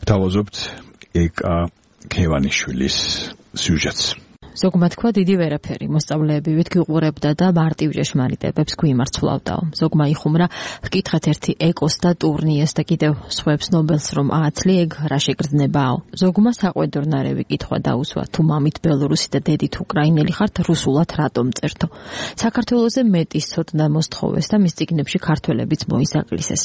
გთავაზობთ ეკა ქევანიშვილის სიუჟეტს. ზოგმა თქვა დიდი ვერაფერი, მოსწავლეები ვით გიყურებდა და მარტივ ჭეშმარიტებებს გვიმართლავდაო. ზოგმა იხუმრა, გკითხეთ ერთი ეკოს და ტურნიეს და კიდევ სხვებს ნობელს რომ ააცლი ეგ რა შეგრძნებაო. ზოგმა საყვედურნარევი კითხვა დაუსვა, თუ მამით ბელორუსი და დედით უკრაინელი ხართ, რუსულად რატომ წერთო. საქართველოზე მეტის ცოდნა მოსთხოვეს და მის წიგნებში ქართველებიც მოისაკლისეს.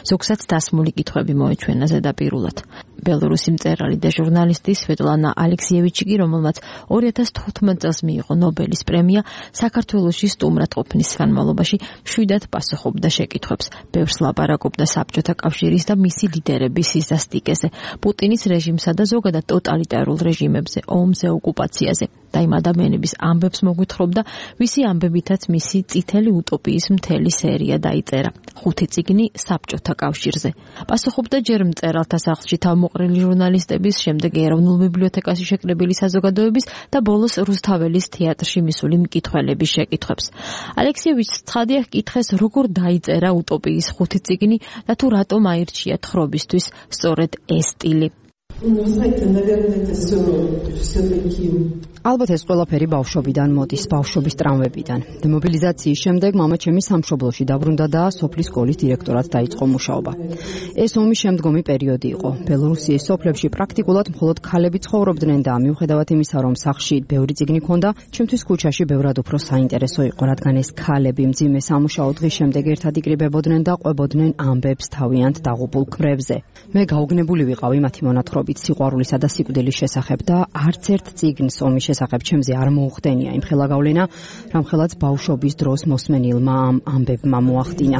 ზოგსაც დასმული კითხვები მოეჩვენა ზედაპირულად. ბელორუსი მწერალი და ჟურნალისტი სვეტლანა ალექსიევიჩი კი, რომელმაც ორი ათას თოთხმეტ წელს მიიღო ნობელის პრემია, საქართველოში სტუმრად ყოფნის განმავლობაში მშვიდად პასუხობდა შეკითხვებს. ბევრს ლაპარაკობდა საბჭოთა კავშირის და მისი ლიდერების სისასტიკეზე, პუტინის რეჟიმსა და ზოგადად ტოტალიტარულ რეჟიმებზე, ომზე, ოკუპაციაზე. და იმ ადამიანების ამბებს მოგვითხრობდა, ვისი ამბებითაც მისი წითელი უტოპიის მთელი სერია დაიწერა. ხუთი წიგნი საბჭოთა კავშირზე. პასუხობდა ჯერ მწერალთა სახლში თავმოყრილი ჟურნალისტების, შემდეგ ეროვნულ ბიბლიოთეკაში შეკრებილი საზოგადოების და ბოლოს რუსთაველის თეატრში მისული მკითხველების შეკითხვებს. ალექსიევიჩს ცხადია ჰკითხეს, როგორ დაიწერა უტოპიის ხუთი წიგნი და თუ რატომ აირჩია თხრობისთვის სწორედ ეს სტილი. ალბათ ეს ყველაფერი ბავშვობიდან მოდის, ბავშვობის ტრამვებიდან. დემობილიზაციის შემდეგ მამა ჩემი სამშობლოში დაბრუნდა და სოფლის სკოლის დირექტორად დაიწყო მუშაობა. ეს ომის შემდგომი პერიოდი იყო. ბელორუსიის სოფლებში პრაქტიკულად მხოლოდ ქალები ცხოვრობდნენ და მიუხედავად იმისა, რომ სახლში ბევრი წიგნი ჰქონდა, ჩემთვის ქუჩაში ბევრად უფრო საინტერესო იყო, რადგან ეს ქალები მძიმე სამუშაო დღის შემდეგ ერთად იკრიბებოდნენ და ყვებოდნენ ამბებს თავიანთ დაღუპულ ქმრებზე. მე გაუგნებული ვიყავი მათი მონათხრობით სიყვარულისა და სიკვდილის შესახებ და არც ერთ წიგნს ომის შესახებ ჩემზე არ მოუხდენია იმ ხელა გავლენა, რამხელაც ბავშვობის დროს მოსმენილმა ამ ამბებმა მოახდინა.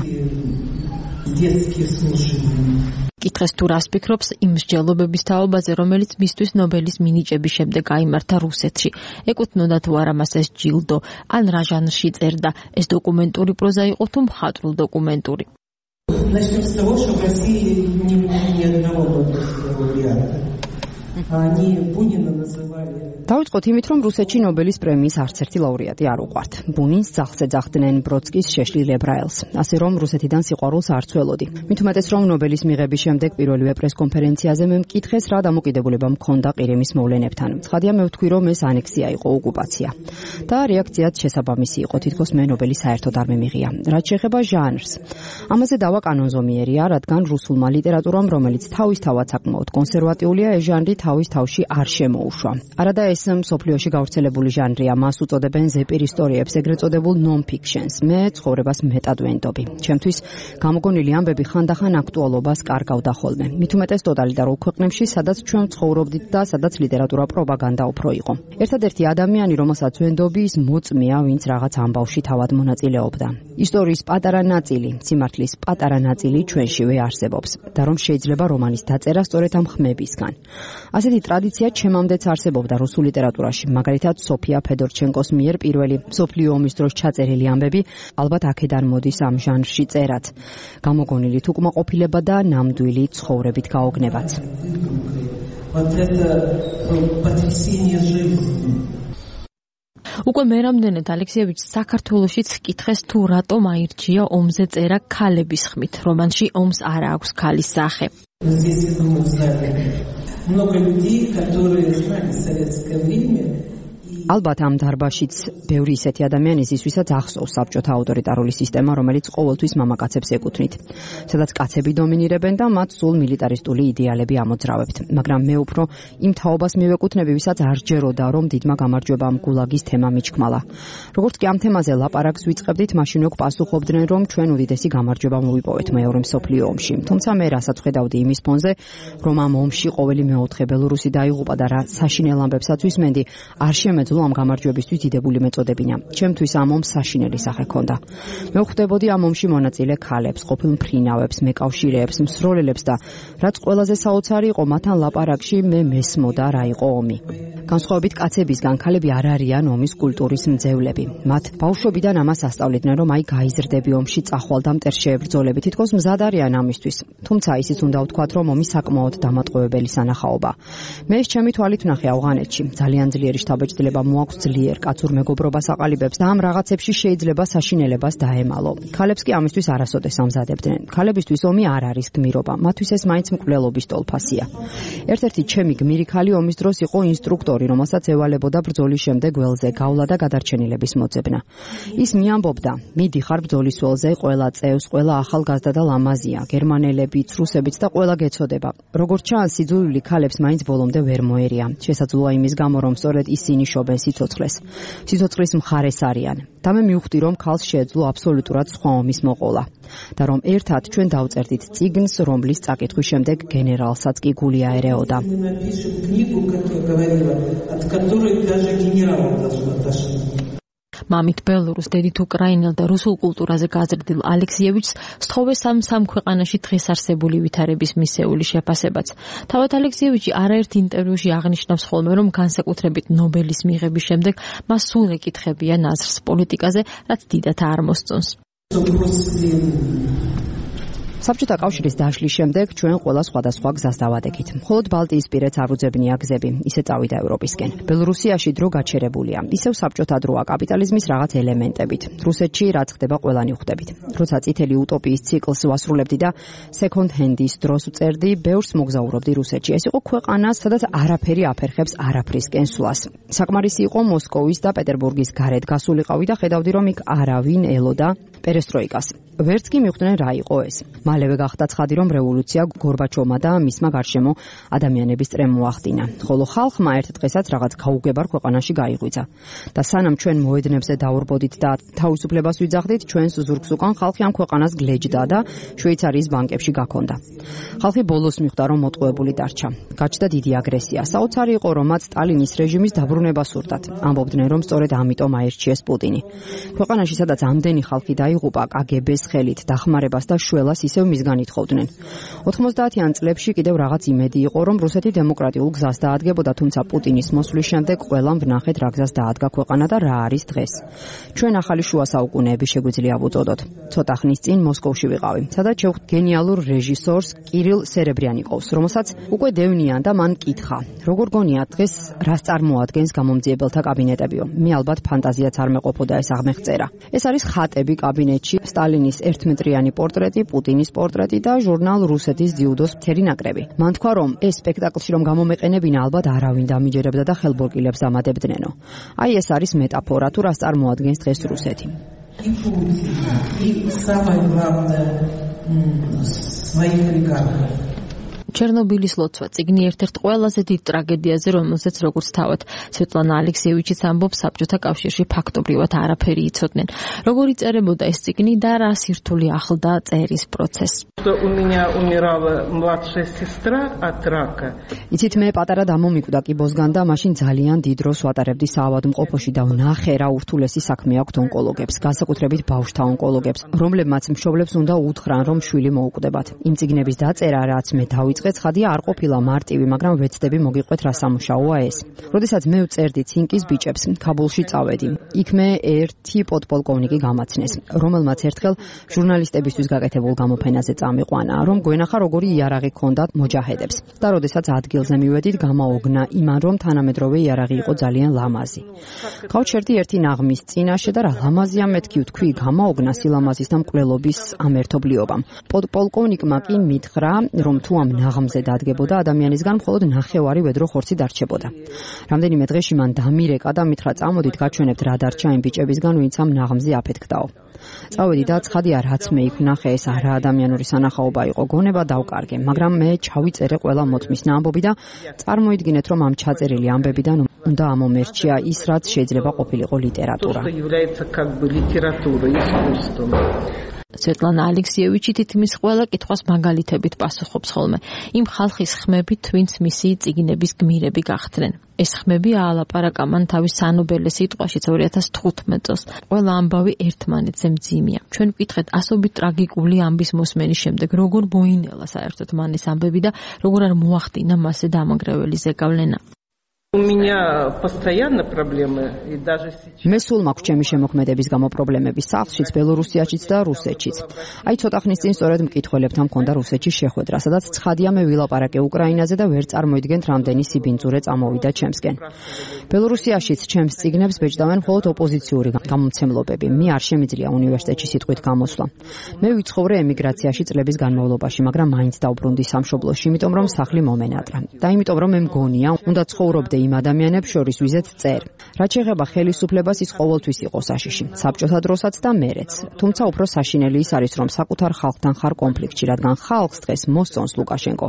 კითხეს თუ რას ფიქრობს იმ მსჯელობების თაობაზე, რომელიც მისთვის ნობელის მინიჭების შემდეგ გაიმართა რუსეთში. ეკუთვნოდა თუ არა მას ეს ჯილდო, ან რა ჟანრში წერდა, ეს დოკუმენტური პროზა იყო თუ მხატვრულ დოკუმენტური. Начнем с того, что в России не было ни одного Нобелевского лауреата. Они Бунина называли. დავიწყოთ იმით, რომ რუსეთში ნობელის პრემიის არც ერთი ლაურეატი არ უყვართ. ბუნინს ძაღლს ეძახდნენ, ბროდსკის შეშლილ ებრაელს. ასე რომ რუსეთიდან სიყვარულს არ ცველოდი. მით უმეტეს რომ ნობელის მიღების შემდეგ პირველივე პრესკონფერენციაზე მე მკითხეს, რა დამოკიდებულება მქონდა ყირიმის მოვლენებთან. ცხადია მე ვთქვი, რომ ეს ანექსია იყო, ოკუპაცია. და რეაქციაც შესაბამისი იყო, თითქოს მე ნობელი საერთოდ არ მემიღია. რაც შეეხება ჟანრს. ამაზე დავა კანონზომიერია, რადგან რუსულმა ლიტერატურამ, რომელიც თავისთავად საკმაოდ კონსერვატიულია, ეს ჟანრი თავის თავში არ შემოუშვა. არადა ეს მსოფლიოში გავრცელებული ჟანრია, მას უწოდებენ ზეპირ ისტორიებს, ეგრეთ წოდებულ non-fictions. მე ცხოვრებას მეტად ვენდობი. ჩემთვის გამოგონილი ამბები ხანდახან აქტუალობას კარგავდა ხოლმე. მით უმეტეს ტოტალიტარულ ქვეყნებში, სადაც ჩვენ ცხოვრობდით და სადაც ლიტერატურა პროპაგანდა უფრო იყო. ერთადერთი ადამიანი, რომელსაც ვენდობი, ის მოწმეა, ვინც რაღაც ამბავში თავად მონაწილეობდა. ისტორიის პატარა ნაწილი, სიმართლის პატარა ნაწილი ჩვენშივე არსებობს და რომ შეიძლება რომანის დაწერა სწორედ ამ ხმებისგან. ასეთი ტრადიცია ჩემამდეც არსებობდა რუსულ ლიტერატურაში, მაგალითად სოფია ფედორჩენკოს მიერ პირველი მსოფლიო ომის დროს ჩაწერილი ამბები ალბათ აქედან მოდის ამ ჟანრში წერად. გამოგონილი თუკმაყოფილება და ნამდვილი ცხოვრებით გაოგნებაც. უკვე მერამდენად ალექსიევიჩს საქართველოშიც კითხეს თუ რატომ აირჩია ომზე წერა ქალების ხმით. რომანში ომს არ აქვს ქალის სახე. Много людей, которые знали советское время. ალბათ ამ დარბაზშიც ბევრი ისეთი ადამიანი ის, ვისაც ახსოვს საბჭოთა ავტორიტარული სისტემა, რომელიც ყოველთვის მამაკაცებს ეკუთვნით, სადაც კაცები დომინირებენ და მათ სულ მილიტარისტული იდეალები ამოძრავებთ. მაგრამ მე უფრო იმ თაობას მივეკუთვნები, ვისაც არ ჯეროდა, რომ დიდმა გამარჯვებამ გულაგის თემა მიჩქმალა. როგორც კი ამ თემაზე ლაპარაკს ვიწყებდით, მაშინ უკვე პასუხობდნენ, რომ ჩვენ უდიდესი გამარჯვება მოვიპოვეთ მეორე მსოფლიო ომში. თუმცა მე რასაც ხედავდი იმის ფონზე, რომ ამ ომში ყოველი მეოთხე ბელორუსი დაიღუპა და რა საშინელ ამბებსაც ვისმენდი, არ შემეძლო ამ გამარჯვებისთვის დიდებული მეწოდებინა. ჩემთვის ამ ომს საშინელი სახე ჰქონდა. მე ვხვდებოდი ამ ომში მონაწილე ქალებს, ყოფილ მფრინავებს, მეკავშირეებს, მსროლელებს და რაც ყველაზე საოცარი იყო, მათთან ლაპარაკში მე მესმოდა რა იყო ომი. განსხვავებით კაცებისგან, ქალები არ არიან ომის კულტურის მძევლები. მათ ბავშვობიდან ამას ასწავლიდნენ, რომ აი გაიზრდები ომში წახვალ და მტერ შეებრძოლები, თითქოს მზად არიან ამისთვის. თუმცა ისიც უნდა ვთქვათ, რომ ომი საკმაოდ დამატყუებელი სანახაობა. მე ეს ჩემი თვალით ვნახე ავღანეთში. ძალიან ძლიერი შთაბეჭდილება მოაქვს ძლიერ კაცურ მეგობრობას აყალიბებს და ამ რაღაცებში შეიძლება საშინელებას დაემალო. ქალებს კი ამისთვის არასოდეს ამზადებდნენ. ქალებისთვის ომი არ არის გმირობა, მათთვის ეს მაინც მკვლელობის ტოლფასია. ერთ-ერთი ჩემი გმირი ქალი ომის დროს იყო ინსტრუქტორი, რომელსაც ევალებოდა ბრძოლის შემდეგ ველზე გავლა და გადარჩენილების მოძებნა. ის მიამბობდა: მიდი ხარ ბრძოლის ველზე, ყველა წევს, ყველა ახალგაზრდა და ლამაზია, გერმანელებიც, რუსებიც და ყველა გეცოდება. როგორც ჩანს, სიძულვილი ქალებს მაინც ბოლომდე ვერ მოერია. შესაძლოა იმის გამო, რომ სწორედ ისინი შობენ სიცოცხლეს. სიცოცხლის მხარეს არიან. და მე მივხვდი, რომ ქალს შეეძლო აბსოლუტურად სხვა ომის მოყოლა. და რომ ერთად ჩვენ დავწერდით წიგნს, რომლის წაკითხვის შემდეგ გენერალსაც კი გული აერეოდა. მამით ბელორუს, დედით უკრაინელ და რუსულ კულტურაზე გაზრდილ ალექსიევიჩს სთხოვეს ამ სამ ქვეყანაში დღეს არსებული ვითარების მისეული შეფასებაც. თავად ალექსიევიჩი არაერთ ინტერვიუში აღნიშნავს ხოლმე, რომ განსაკუთრებით ნობელის მიღების შემდეგ მას სულ ეკითხებია ნაზრს პოლიტიკაზე, რაც დიდათ არ მოსწონს. საბჭოთა კავშირის დაშლის შემდეგ ჩვენ ყველა სხვადასხვა გზას დავადექით. მხოლოდ ბალტიისპირეთს არ უძებნია გზები, ისე წავიდა ევროპისკენ. ბელორუსიაში დრო გაჩერებულია, ისევ საბჭოთა დროა კაპიტალიზმის რაღაც ელემენტებით. რუსეთში რაც ხდება ყველანი ხვდებით. როცა წითელი utopიის ციკლს ვასრულებდი და second hand-ის დროს ვწერდი, ბევრს მოგზაურობდი რუსეთში. ეს იყო ქვეყანა, სადაც არაფერი აფერხებს არაფრისკენ სვლას. საკმარისი იყო მოსკოვის და პეტერბურგის გარეთ გასულიყავი და ხედავდი, რომ იქ არავინ ელოდა პერესტროიკას. ვერც კი მიხვდნენ რა იყო ეს. მალევე გახდა ცხადი, რომ რევოლუცია გორბაჩოვმა და მისმა გარშემო ადამიანების წრემ მოახდინა. ხოლო ხალხმა ერთ დღესაც რაღაც გაუგებარ ქვეყანაში გაიღვიძა. და სანამ ჩვენ მოედნებზე დაურბოდით და თავისუფლებას ვიძახდით, ჩვენს ზურგს უკან ხალხი ამ ქვეყანას გლეჯდა და შვეიცარიის ბანკებში გაქონდა. ხალხი ბოლოს მიხვდა, რომ მოტყუებული დარჩა. გაჩნდა დიდი აგრესია. საოცარი იყო, რომ მათ სტალინის რეჟიმის დაბრუნება სურდათ. ამბობდნენ, რომ სწორედ ამიტომ აირჩიეს პუტინი. ქვეყანაში, სადაც ამდენი ხალხი დაიღუპა კაგებეს ხელით, დახმარებას და შველას ისევ მისგან ითხოვდნენ. ოთხმოცდაათიან წლებში კიდევ რაღაც იმედი იყო, რომ რუსეთი დემოკრატიულ გზას დაადგებოდა, თუმცა პუტინის მოსვლის შემდეგ ყველამ ვნახეთ რა გზას დაადგა ქვეყანა და რა არის დღეს. ჩვენ ახალი შუა საუკუნეები შეგვიძლია ვუწოდოთ. ცოტა ხნის წინ მოსკოვში ვიყავი, სადაც შევხვდით გენიალურ რეჟისორს კირილ სერებრიანიკოვს, რომელსაც უკვე დევნიან და მან კითხა: როგორ გონიათ დღეს რას წარმოადგენს გამომძიებელთა კაბინეტებიო? მე ალბათ ფანტაზიაც არ მეყოფოდა ეს აღმეხწერა. ეს არის ხატები კაბინეტში, სტალინის ერთმეტრიანი პორტრეტი, პუტინის პორტრეტი და ჟურნალ რუსეთის ძიუდოს მთელი ნაკრები. მან თქვა, რომ ეს სპექტაკლში რომ გამომეყენებინა, ალბათ არავინ დამიჯერებდა და ხელბორკილებს ამადებდნენო. აი ეს არის მეტაფორა, თუ რას წარმოადგენს დღეს რუსეთი. ჩერნობილის ლოცვა წიგნი ერთ-ერთ ყველაზე დიდ ტრაგედიაზე, რომელზეც როგორც თავად სვეტლანა ალექსიევიჩიც ამბობს, საბჭოთა კავშირში ფაქტობრივად არაფერი იცოდნენ. როგორ იწერებოდა ეს წიგნი და რა სირთულე ახლდა წერის პროცესს. იცით, მე პატარა დამომიკვდა კიბოსგან და მაშინ ძალიან დიდ დროს ვატარებდი საავადმყოფოში და ვნახე რა ურთულესი საქმე აქვთ ონკოლოგებს, განსაკუთრებით ბავშვთა ონკოლოგებს, რომლებმაც მშობლებს უნდა უთხრან, რომ შვილი მოუკვდებათ. იმ წიგნების დაწერა, რაც მე დავიწყე, ცხადია არ ყოფილა მარტივი, მაგრამ ვეცდები მოგიყვეთ რა სამუშაოა ეს. როდესაც მე ვწერდი ცინკის ბიჭებს, ქაბულში წავედი. იქ მე ერთი პოდპოლკოვნიკი გამაცნეს, რომელმაც ერთხელ ჟურნალისტებისთვის გაკეთებულ გამოფენაზე წამიყვანა, რომ გვენახა როგორი იარაღი ჰქონდათ მოჯაჰედებს. და როდესაც ადგილზე მივედით, გამაოგნა იმან, რომ თანამედროვე იარაღი იყო ძალიან ლამაზი. გავჩერდი ერთი ნაღმის წინაშე და რა ლამაზია მეთქი ვთქვი, გამაოგნა სილამაზის და მკვლელობის ამ ერთობლიობამ. პოდპოლკოვნიკმა კი მითხრა, რომ თუ ამ ნაღმზე დადგებოდა ადამიანისგან მხოლოდ ნახევარი ვედრო ხორცი დარჩებოდა. რამდენიმე დღეში მან დამირეკა და მითხრა, წამოდით გაჩვენებთ რა დარჩა იმ ბიჭებისგან, ვინც ამ ნაღმზე აფეთქდაო. წავედი და ცხადია, რაც მე იქ ვნახე, ეს არა ადამიანური სანახაობა იყო, გონება დავკარგე, მაგრამ მე ჩავიწერე ყველა მოწმისნა ამბობი და წარმოიდგინეთ, რომ ამ ჩაწერილი ამბებიდან უნდა ამომერჩია ის, რაც შეიძლება ყოფილიყო ლიტერატურა. სვეტლანა ალექსიევიჩი თითქმის ყველა კითხვას მაგალითებით პასუხობს ხოლმე. იმ ხალხის ხმებით, ვინც მისი წიგნების გმირები გახდნენ. ეს ხმები აალაპარაკა მან თავის სანობელე სიტყვაშიც ორი ათას თხუთმეტ წელს. ყველა ამბავი ერთმანეთზე მძიმეა. ჩვენ ვკითხეთ ასობით ტრაგიკული ამბის მოსმენის შემდეგ, როგორ მოინელა საერთოდ მან ეს ამბები და როგორ არ მოახდინა მასზე დამანგრეველი ზეგავლენა. У меня постоянно проблемы и даже сейчас. მე სულ მაქვს ჩემი შემოქმედების გამო პრობლემები სახლშიც, ბელორუსიაშიც და რუსეთშიც. აი ცოტა ხნის წინ სწორედ მკითხველებთან მქონდა რუსეთში შეხვედრა, სადაც ცხადია მე ვილაპარაკე უკრაინაზე და ვერ წარმოიდგენთ რამდენი სიბინძურე წამოვიდა ჩემსკენ. ბელორუსიაშიც ჩემს წიგნებს ბეჭდავენ მხოლოდ ოპოზიციური გამომცემლობები. მე არ შემიძლია უნივერსიტეტში სიტყვით გამოსვლა. მე ვიცხოვრე ემიგრაციაში წლების განმავლობაში, მაგრამ მაინც დავბრუნდი სამშობლოში, იმიტომ რომ სახლი მომენატრა. და იმიტომ რომ მე მგონია, უნდა ცხოვრობდე იმ ადამიანებს შორის ვიზეთ წერ. რაც შეეხება ხელისუფლებას, ის ყოველთვის იყო საშიში, საბჭოთა დროსაც და მერეც. თუმცა უფრო საშინელი ის არის, რომ საკუთარ ხალხთან ხარ კონფლიქტში, რადგან ხალხს დღეს მოსწონს ლუკაშენკო.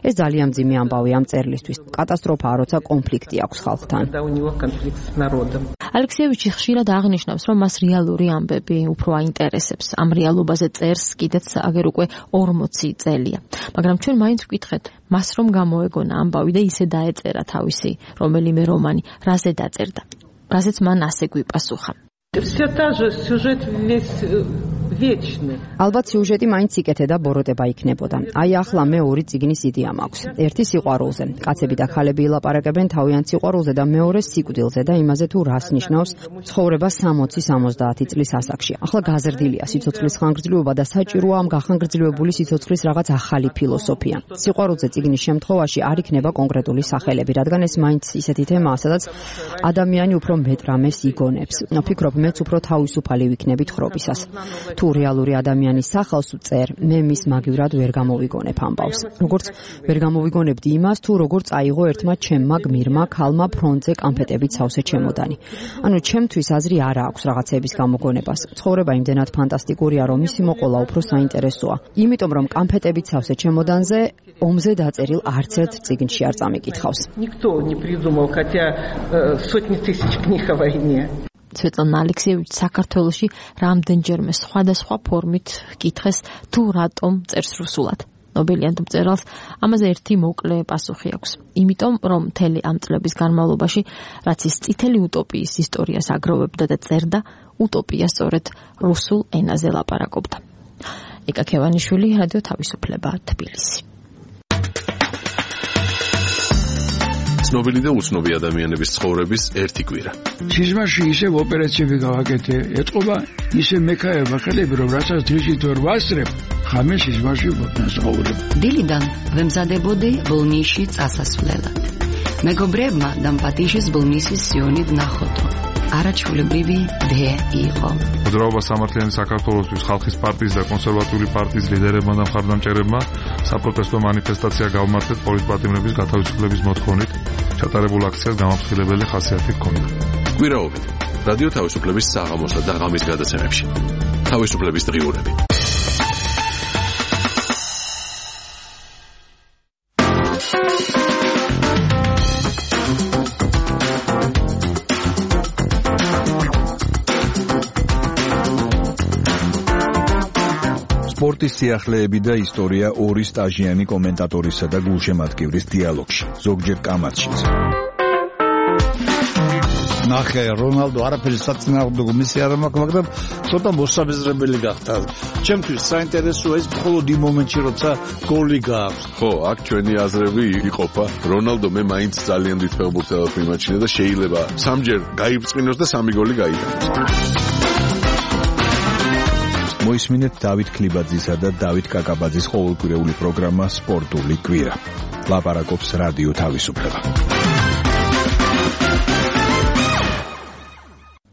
ეს ძალიან მძიმე ამბავი ამ წერლისთვის. კატასტროფაა, როცა კონფლიქტი აქვს ხალხთან. ალექსიევიჩი ხშირად აღნიშნავს, რომ მას რეალური ამბები უფრო აინტერესებს. ამ რეალობაზე წერს კიდეც აგერ უკვე ორმოცი წელია. მაგრამ ჩვენ მაინც ვკითხეთ, მას რომ გამოეგონა ამბავი და ისე დაეწერა თავისი რომელიმე რომანი, რაზე დაწერდა. რაზეც მან ასე გვიპასუხა. Все та же сюжет весь вечный. ალბათ სიუჟეტი მაინც იკეთე და ბოროტება იქნებოდა. აი ახლა მე ორი წიგნის იდეა მაქვს. ერთი სიყვარულზე. კაცები და ხალები ილაპარაკებენ თავიანთ სიყვარულზე და მეორე სიკვდილზე და იმაზე თუ რას ნიშნავს ცხოვრება სამოცი სამოცდაათი წლის ასაკში. ახლა გაზრდილია სიცოცხლის ხანგრძლივობა და საჭიროა ამ გახანგრძლივებული სიცოცხლის რაღაც ახალი ფილოსოფია. სიყვარულზე წიგნის შემთხვევაში არ იქნება კონკრეტული სახელები, რადგან ეს მაინც ისეთი თემაა, სადაც ადამიანი უფრო მეტ რამეს იგონებს. ვფიქრობ, მეც უფრო თავისუფალი ვიქნებით ხრობისას. თუ რეალური ადამიანის სახელს წერ, მე მის მაგივრად ვერ გამოვიგონებ ამბავს. როგორც ვერ გამოვიგონებდი იმას, თუ როგორ წაიღო ერთმა ჩემმა გმირმა ქალმა ფრონტზე კამფეტებით სავსე ჩემოდანი. ანუ ჩემთვის აზრი არ აქვს რაღაცების გამოგონებას. ცხოვრება იმდენად ფანტასტიკურია, რომ მისი მოყოლა უფრო საინტერესოა. იმიტომ რომ კამფეტებით სავსე ჩემოდანზე ომზე დაწერილ არც ერთ წიგნში არ წამიკითხავს. Никто не придумал, хотя сотни тысяч книг о войне. სვეტლანა ალექსიევიჩი საქართველოში რამდენჯერმე სხვადასხვა ფორმით კითხეს თუ რატომ წერს რუსულად. ნობელიანტ მწერალს ამაზე ერთი მოკლე პასუხი აქვს. იმიტომ რომ მთელი ამ წლების განმავლობაში რაც ის წითელი უტოპიის ისტორიას აგროვებდა და წერდა, უტოპია სწორედ რუსულ ენაზე ლაპარაკობდა. ეკა ქევანიშვილი, რადიო თავისუფლება, თბილისი. ცნობილი და უცნობი ადამიანების ცხოვრების ერთი კვირა. სიზმარში ისევ ოპერაციები გავაკეთე, ეთყობა ისე მექაება ხელები, რომ რასაც დღისით ვერ ვასწრებ, ხამე სიზმარში ვსაუბრებ. დილიდან ვემზადებოდი ბოლნისში წასასვლელად. მეგობრებმა დამპატიშის ბოლნისის სიონით ნახოთო. არაჩვეულებრივი დე იყო. მოძრაობა სამართლიანი საქართველოსთვის ხალხის პარტიის და კონსერვატიული პარტიის ლიდერებმა და მხარდამჭერებმა საპროტესტო მანიფესტაცია გავმართეთ პოლიტპატიმრების გათავისუფლების მოთხოვნით. ჩატარებულ აქციას გამაფრთხილებელი ხასიათი ჰქონდა. კვირაობით რადიო თავისუფლების საღამოსა და ღამის გადაცემებში. თავისუფლების დღიურები. სპორტის სიახლეები და ისტორია ორი სტაჟიანი კომენტატორისა და გულშემატკივრის დიალოგში, ზოგჯერ კამათშიც. ნახე, რონალდო არაფერი საწინააღმდეგო მისი არ მაქვს, მაგრამ ცოტა მოსაბეზრებელი გახდა. ჩემთვის საინტერესოა ის მხოლოდ იმ მომენტში, როცა გოლი გააქვს. ხო, აქ ჩვენი აზრები იყოფა. რონალდო მე მაინც ძალიან დიდ ფეხბურთელად მიმაჩნია და შეიძლება სამჯერ გაიბრწყინოს და სამი გოლი გაიტანოს. მოისმინეთ დავით ქლიბაძისა და დავით კაკაბაძის ყოველკვირეული პროგრამა სპორტული კვირა. ლაპარაკობს რადიო თავისუფლება.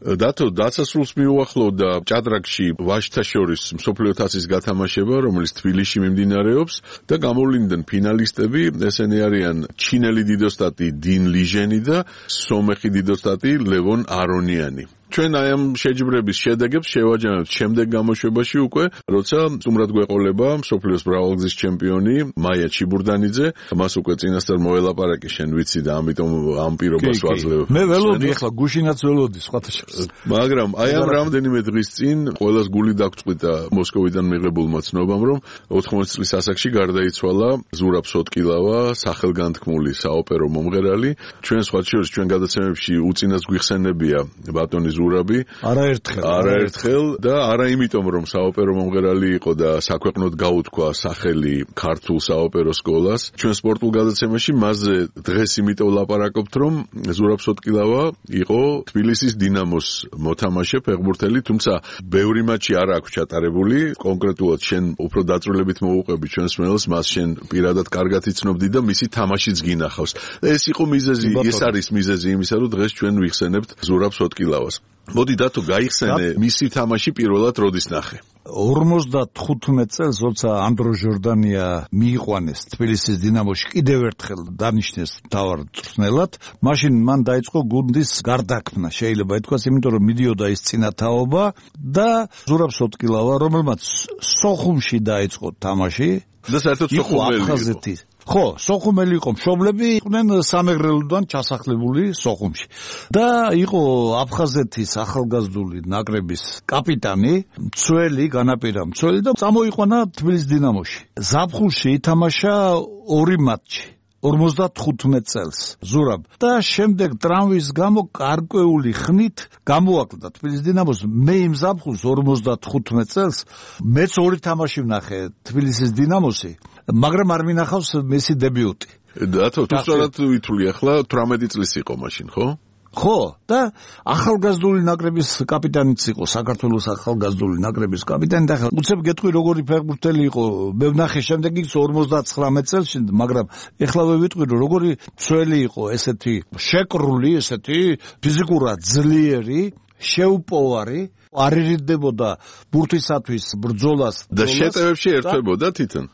დათო დაცასრულს მიუახლოვდა ჭადრაკში ვაჟთა შორის მსოფლიო თასის გათამაშება, რომელიც თბილისში მიმდინარეობს და გამოვლინდნენ ფინალისტები, ესენი არიან ჩინელი დიდოსტატი 딘 ლიჟენი და სომეხი დიდოსტატი ლევონ არონიანი. ჩვენ აი ამ შეჯიბრების შედეგებს შევაჯამებთ შემდეგ გამოშვებაში უკვე, როცა სტუმრად გვეყოლება მსოფლიოს მრავალგზის ჩემპიონი მაია ჩიბურდანიძე, მას უკვე წინასწარ მოელაპარაკე შენ ვიცი და ამიტომ ამ პირობას ვაძლევ. მე ველოდი ახლა გუშინაც ველოდი სხვათა შორის. მაგრამ აი ამ რამდენიმე დღის წინ ყველას გული დაგწყვიტა მოსკოვიდან მიღებულმა ცნობამ, რომ ოთხმოცი წლის ასაკში გარდაიცვალა ზურაბ სოტკილავა, სახელგანთქმული საოპერო მომღერალი. ჩვენ სხვათა შორის ჩვენ გადაცემებში უწინას გვიხსენებია ბატონის ზურაბი. არაერთხელ. არაერთხელ და არა იმიტომ რომ საოპერო მომღერალი იყო და საქვეყნოდ გაუთქვა სახელი ქართულ საოპერო სკოლას. ჩვენ სპორტულ გადაცემაში მასზე დღეს იმიტომ ლაპარაკობთ რომ ზურაბ სოტკილავა იყო თბილისის დინამოს მოთამაშე ფეხბურთელი, თუმცა ბევრი მატჩი არ აქვს ჩატარებული. კონკრეტულად შენ უფრო დაწვრილებით მოუყვები ჩვენს მელს, მას შენ პირადად კარგად იცნობდი და მისი თამაშიც გინახავს. ეს იყო მიზეზი, ეს არის მიზეზი იმისა, რომ დღეს ჩვენ ვიხსენებთ ზურაბ სოტკილავას. მოდი დათო გაიხსენე მისი თამაში პირველად როდის ნახე? ორმოცდათხუთმეტ წელს, როცა ანდრო ჟორდანია მიიყვანეს თბილისის დინამოში, კიდევ ერთხელ დანიშნეს მთავარ მწვრთნელად, მაშინ მან დაიწყო გუნდის გარდაქმნა, შეიძლება ითქვას, იმიტომ რომ მიდიოდა ის წინათაობა და ზურაბ სოტკილავა, რომელმაც სოხუმში დაიწყო თამაში და საერთოდ სოხუმელი იყო. ხო, სოხუმელი იყო, მშობლები იყვნენ სამეგრელოდან ჩასახლებული სოხუმში. და იყო აფხაზეთის ახალგაზრდული ნაკრების კაპიტანი, მცველი, განაპირა მცველი და წამოიყვანა თბილისის დინამოში. ზაფხულში ითამაშა ორი მატჩი. ორმოცდათხუთმეტ წელს ზურაბ და შემდეგ ტრამვის გამო გარკვეული ხნით გამოაკლდა თბილისის დინამოს. მე იმ ზაფხულს ორმოცდათხუთმეტ წელს მეც ორი თამაში ვნახე თბილისის დინამოსი, მაგრამ არ მინახავს მისი დებიუტი. დათო, თუ სწორად ვითვლი ახლა თვრამეტი წლის იყო მაშინ, ხო? ხო, და ახალგაზრდული ნაკრების კაპიტანიც იყო, საქართველოს ახალგაზრდული ნაკრების კაპიტანი და უცებ გეტყვი როგორი ფეხბურთელი იყო. მე ვნახე შემდეგ ის ორმოცდაცხრამეტ წელს, მაგრამ ეხლავე ვიტყვი რომ როგორი მცველი იყო, ესეთი შეკრული, ესეთი ფიზიკურად ძლიერი, შეუპოვარი, არ ერიდებოდა ბურთისათვის ბრძოლას და შეტევებში ერთვებოდა თვითონ.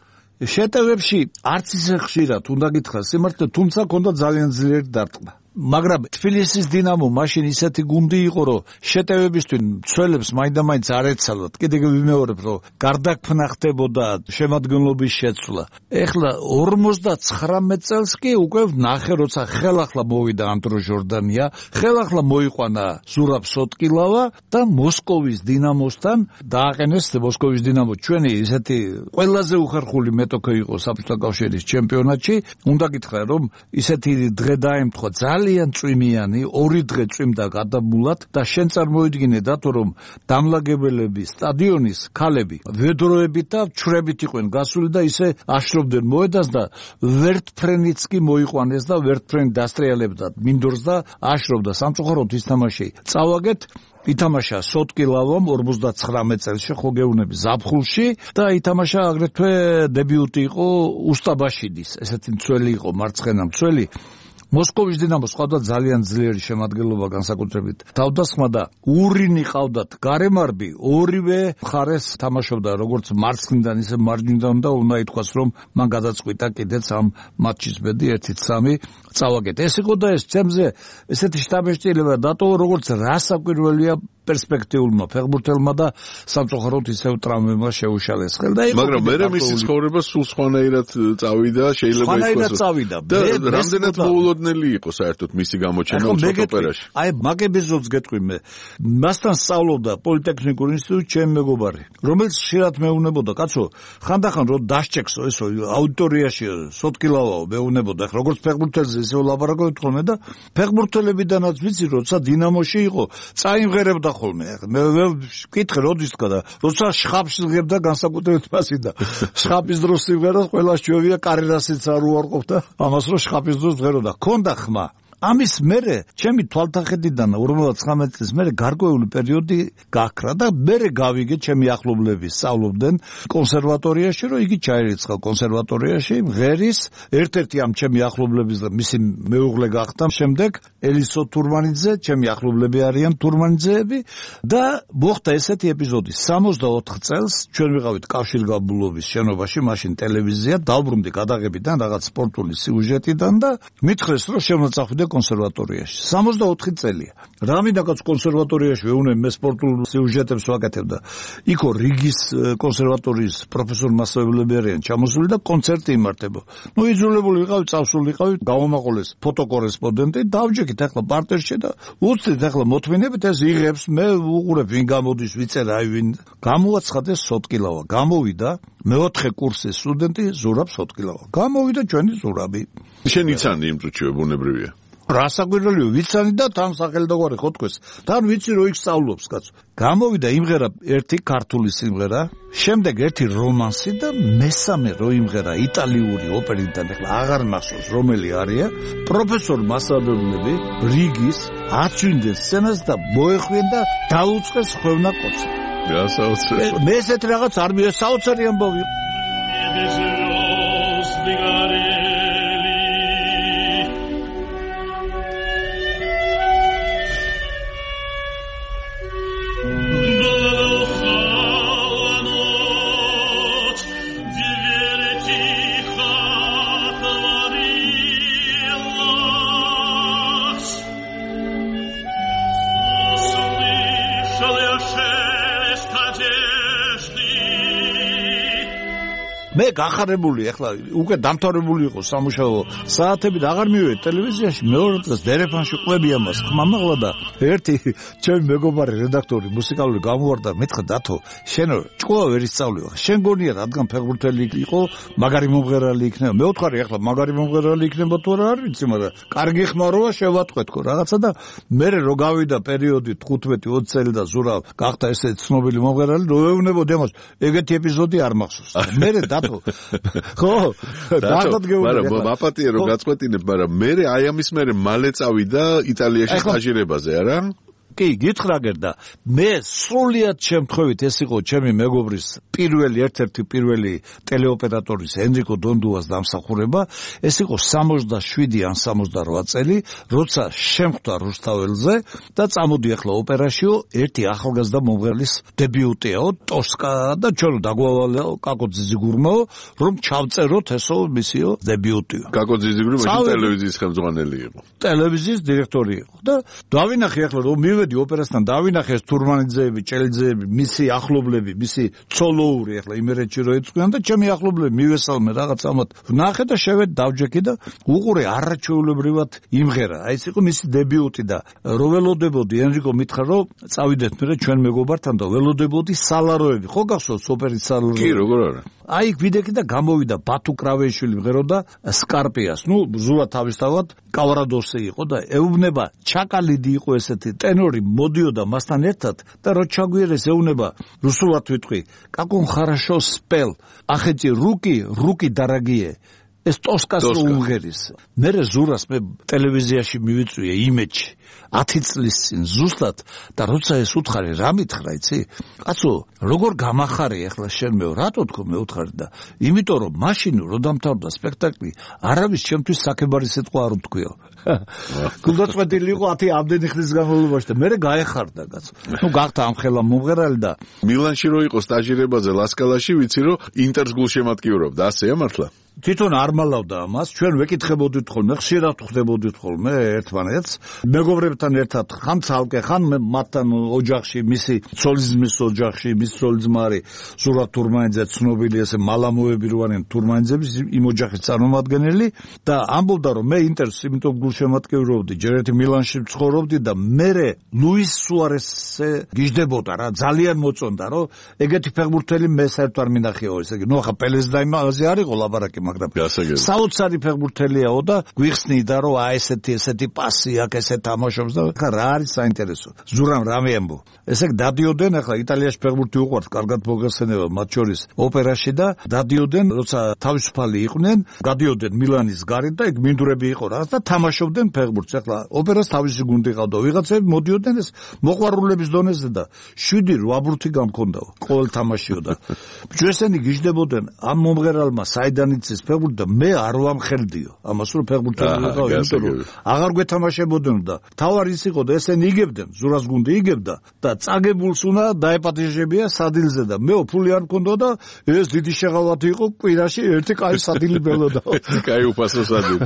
შეტევებში არც ისე ხშირად უნდა გითხრას სიმართლე, თუმცა ჰქონდა ძალიან ძლიერი დარტყმა. მაგრამ თბილისის დინამო მაშინ ისეთი გუნდი იყო, რომ შეტევებისთვის მცველებს მაინდა-მაინც არ ეცალათ. კიდევ ვიმეორებ, რომ გარდაქმნა ხდებოდა, შემადგენლობის შეცვლა. ეხლა ორმოცდაცხრამეტ წელს კი უკვე ნახე, როცა ხელახლა მოვიდა ანდრო ჟორდანია, ხელახლა მოიყვანა ზურაბ სოტკილავა და მოსკოვის დინამოსთან დააყენეს. მოსკოვის დინამო ჩვენი ისეთი ყველაზე უხერხული მეტოქე იყო საბჭოთა კავშირის ჩემპიონატში. უნდა გითხრა, რომ ისეთი დღე დაემთხვა ძალიან წვიმიანი, ორი დღე წვიმდა გადაბულად და შენ წარმოიდგინე დათო რომ დამლაგებელები სტადიონის ქალები ვედროებით და ჩვრებით იყვნენ გასული და ისე აშრობდნენ მოედანს და ვერტფრენიც კი მოიყვანეს და ვერტფრენი დასტრიალებდა მინდორს და აშრობდა. სამწუხაროდ ის თამაში წავაგეთ. ითამაშა სოტკილავამ ორმოცდაცხრამეტ წელს ხო გეუბნები ზაფხულში და ითამაშა აგრეთვე დებიუტი იყო უსტაბაშიდის, ესეთი მცველი იყო, მარცხენა მცველი. მოსკოვის დინამოს ყავდა ძალიან ძლიერი შემადგენლობა, განსაკუთრებით თავდასხმა და ურინი ყავდათ გარემარბი, ორივე მხარეს თამაშობდა როგორც მარცხნიდან ისე მარჯვნიდან და უნდა ითქვას რომ მან გადაწყვიტა კიდეც ამ მატჩის ბედი ერთი სამი წავაგეთ. ეს იყო და ეს ჩემზე ესეთი შტაბეშტილება დატოვა, როგორც რასაკვირველია პერსპექტიულმა ფეხბურთელმა და სამწუხაროდ ისევ ტრამვებმა შეუშალეს ხელ და იყო. მაგრამ მე მისი ცხოვრება სულ სხვანაირად წავიდა, შეიძლება ითქვას. წავიდა. და რამდენად მოულოდნელი იყო საერთოდ მისი გამოჩენა ოპერაში. აი, მაგებიზოდს გეტყვი მე. მასთან სწავლობდა პოლიტექნიკურ ინსტიტუტში ჩემი მეგობარი, რომელიც ხშირად მეუბნებოდა, კაცო, ხანდახან რო დასჭექსო ესო აუდიტორიაში სოტკილავაო მეუბნებოდა, როგორც ფეხბურთელზე ისე ლაპარაკობთ ხოლმე და ფეხბურთელებიდანაც ვიცი, როცა დინამოში იყო, წაიმღერებდა ხოლმე. მე ვკითხე როდის თქვა და როცა შხაპს იღებდა განსაკუთრებით მასი და შხაპის დროს სიმღერა ყველა ჩვევია კარიერასაც არ უარყოფდა ამას რომ შხაპის დროს ღეროდა. ქონდა ხმა. ამის მერე ჩემი თვალთახედიდან ორმოცდაცხრამეტ წლის მერე გარკვეული პერიოდი გაქრა და მერე გავიგე ჩემი ახლობლები სწავლობდნენ კონსერვატორიაში, რომ იგი ჩაირიცხა კონსერვატორიაში, ღერის ერთ-ერთი ამ ჩემი ახლობლების და მისი მეუღლე გახდა შემდეგ ელისო თურმანიძე, ჩემი ახლობლები არიან თურმანიძეები და მოხდა ესეთი ეპიზოდი. სამოცდაოთხ წელს ჩვენ ვიყავით კავშირგაბმულობის შენობაში, მაშინ ტელევიზია, დავბრუნდი გადაღებიდან რაღაც სპორტული სიუჟეტიდან და მითხრეს რომ შემოწახვიდე კონსერვატორიაში. სამოცდაოთხი წელია. რამინაკაც კონსერვატორიაში ვეუბნები მე სპორტულ სიუჟეტებს ვაკეთებ და იქო რიგის კონსერვატორიის პროფესორ მასწავლებლები არიან ჩამოსული და კონცერტი იმართება. ნუ იძულებული ვიყავი, წავსული ვიყავი, გავამაყოლეს ფოტოკორესპონდენტი, დავჯექით ახლა პარტერში და უცდით ახლა მოთმინებით ეს იღებს, მე უყურებ ვინ გამოდის, ვიწერ აი ვინ. გამოაცხადეს სოტკილავა. გამოვიდა მეოთხე კურსის სტუდენტი ზურაბ სოტკილავა. გამოვიდა ჩვენი ზურაბი. შენ იცანი იმ წუთშივე ბუნებრივია. რასაკვირველია, ვიცანი და თან სახელდაგვარი ხო თქვეს. თან ვიცი რომ იქ სწავლობს კაცო. გამოვიდა იმღერა ერთი ქართული სიმღერა, შემდეგ ერთი რომანსი და მესამე რო იმღერა იტალიური ოპერიდან, ეხლა აღარ მახსოვს რომელი არია, პროფესორ მასწავლებლები რიგის აწვინდნენ სცენას და მოეხვიენ და დაუწყეს ხვევნა კოცა. გასაოცარი. მე ესეთ რაღაც არ მია საოცარი ამბავი. მე გახარებული ახლა უკვე დამთავრებული იყო სამუშაო საათები და აღარ მივედი ტელევიზიაში მეორე დღეს დერეფანში ყვები ამას ხმამაღლა და ერთი ჩემი მეგობარი რედაქტორი მუსიკალური გამოვარდა მეთქა დათო შენ ჭკუა ვერ ისწავლე შენ გონია რადგან ფეხბურთელი იყო მაგარი მომღერალი იქნება მე ვთხარი ახლა მაგარი მომღერალი იქნება თუ არა არ ვიცი მაგრამ კარგი ხმაროა შევატყვეთქო რაღაცა და მე რო გავიდა პერიოდი თხუთმეტი ოცი წელი და ზურა გახდა ესე ცნობილი მომღერალი რო ეუბნებოდი ამას ეგეთი ეპიზოდი არ მახსოვს მე ხო დაგადგეული მაგრამ მაპატია რომ გაწყვეტინებ მაგრამ მე აი ამის მერე მალე წავიდა იტალიაში სტაჟირებაზე არა კი გითხრაგერ და მე სრულიად შემთხვევით ეს იყო ჩემი მეგობრის პირველი ერთ-ერთი პირველი ტელეოპერატორის ენრიკო დონდუას დამსახურება ეს იყო სამოცდაშვიდი ან სამოცდარვა წელი როცა შემხვდა რუსთაველზე და წამოდი ახლა ოპერაშიო ერთი ახალგაზრდა მომღერლის დებიუტიაო ტოსკა და ჩვენო დაგვავალო კაკო ძიძიგურმაო რომ ჩავწეროთ ესო მისიო დებიუტიო კაკო ძიძიგური მაშინ ტელევიზიის ხელმძღვანელი იყო ტელევიზიის დირექტორი იყო და დავინახე ახლა რომ მივედი ოპერასთან დავინახე თურმანიძეები, ჭელიძეები, მისი ახლობლები, მისი ცოლოური ახლა იმერეთში რო იწვიან და ჩემი ახლობლები მივესალმე რაღაც ამათ. ვნახე და შევედი დავჯექი და უყურე არაჩვეულებრივად იმღერა. აი ეს იყო მისი დებიუტი და რო ველოდებოდი ენრიკო მითხრა რომ წავიდეთ მე ჩვენ მეგობართან და ველოდებოდი სალაროები. ხო გახსოვს ოპერის სალაროები? კი, როგორ არა. აი ვიდექი და გამოვიდა ბათუ კრავეიშვილი მღეროდა სკარპიას. ნუ ზურა თავისთავად კავარადოსი იყო და ეუბნება ჩაკალიდი იყო ესეთი ტენორი მოდიოდა მასთან ერთად და რო ჩაგვიერეს ეუბნება რუსულად ვიტყვი კაკონ ხარაშო სპელ ახეთი რუკი რუკი დარაგიე ეს ტოსკას რო უმღერის მე ზურას მე ტელევიზიაში მივიწვიე იმეჯი ათი წლის წინ ზუსტად და როცა ეს უთხარი რა მითხრა იცი კაცო როგორ გამახარე ახლა შენ მე რატო თქო მე უთხარი და იმიტომ რომ მაშინ რო დამთავრდა სპექტაკლი არავის ჩემთვის საკებარი სიტყვა არ უთქვიო გულდაწყვეტილი იყო ათი ამდენი ხნის განმავლობაში და მე გაეხარდა კაცო ნუ გახდა ამხელა მომღერალი და მილანში რო იყო სტაჟირებაზე ლასკალაში ვიცი რომ ინტერს გულშემატკივრობდა ასეა მართლა თვითონ არ მალავდა ამას ჩვენ ვეკითხებოდით ხოლმე ხშირად ხვდებოდით ხოლმე ერთმანეთს მეგობრებთან ერთად ხან ცალკე ხან მათთან ოჯახში მისი ცოლიზმის ოჯახში მის ცოლიზმარი ზურაბ თურმანიძე ცნობილი ესე მალამოები რო არიან თურმანიძების იმ ოჯახის წარმომადგენელი და ამბობდა რომ მე ინტერს იმიტომ გულშემატკივრობდი ჯერ ერთი მილანში ცხოვრობდი და მე ლუის სუარესზე გიждდებოდა რა ძალიან მოწონდა რომ ეგეთი ფეხბურთელი მე საერთოდ არ მინახეო ესე იგი ნუ ახლა პელეს და იმაზე არ იყო ლაბარაკი მაგრამ საოცარი ფეხბურთელიაო და გვიხსნიდა რომ აი ესეთი ესეთი პასი აქვს ესე თამაშობს და ხა რა არის საინტერესო ზურამ რამე ამბო ესე დადიოდენ ახლა იტალიაში ფეხბურთი უყვართ კარგად მოგეხსენება მათ შორის ოპერაში და დადიოდენ როცა თავისუფალი იყვნენ გადიოდენ მილანის გარეთ და ეგ მინდვრები იყო რაღაც და თამაშობდნენ ფეხბურთს ახლა ოპერას თავისი გუნდი ყავდა ვიღაცები მოდიოდნენ ეს მოყვარულების დონეზე და შვიდი რვა გამქონდაო ყოველ თამაშიო და ბიჭო ესენი გიждდებოდნენ ამ მომღერალმა საიდან იცის ფეხბურთი და მე არ ვამხელდიო ამას რომ ფეხბურთელი ვიყავ იმიტომ რომ აღარ გვეთამაშებოდნენ და თავარი ის იყო და ესენი იგებდნენ ზურას გუნდი იგებდა და წაგებულს უნდა დაეპატიჟებია სადილზე და მე ფული არ მქონდა და ეს დიდი შეღავათი იყო კვირაში ერთი კაი სადილი ბელოდა კაი უფასო სადილი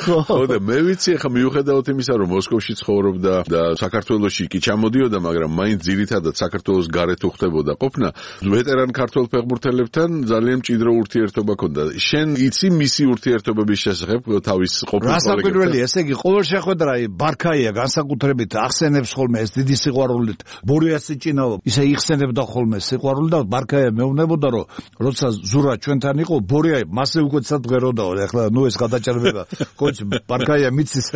ხო და მე ვიცი ახლა მიუხედავად იმისა რომ მოსკოვში ცხოვრობდა და საქართველოში კი ჩამოდიოდა მაგრამ მაინც ძირითადად საქართველოს გარეთ უხდებოდა ყოფნა ვეტერან ქართველ ფეხბურთელებთან ძალიან მჭიდრო ურთიერთობა ჰქონდა შენ იცი მისი ურთიერთობების შესახებ თავის ყოფილ კოლეგებთან? რასაკვირველია, ესე იგი, ყოველ შეხვედრა ბარქაია განსაკუთრებით ახსენებს ხოლმე ეს დიდი სიყვარულით ბორიას ჭინაო, ისე იხსენებდა ხოლმე სიყვარული და ბარქაია მეუბნებოდა, რომ როცა ზურა ჩვენთან იყო, ბორია მასე უკვე წადღეროდაო, ეხლა ნუ ეს გადაჭერბება. ხოჭ ბარქაია მიცის.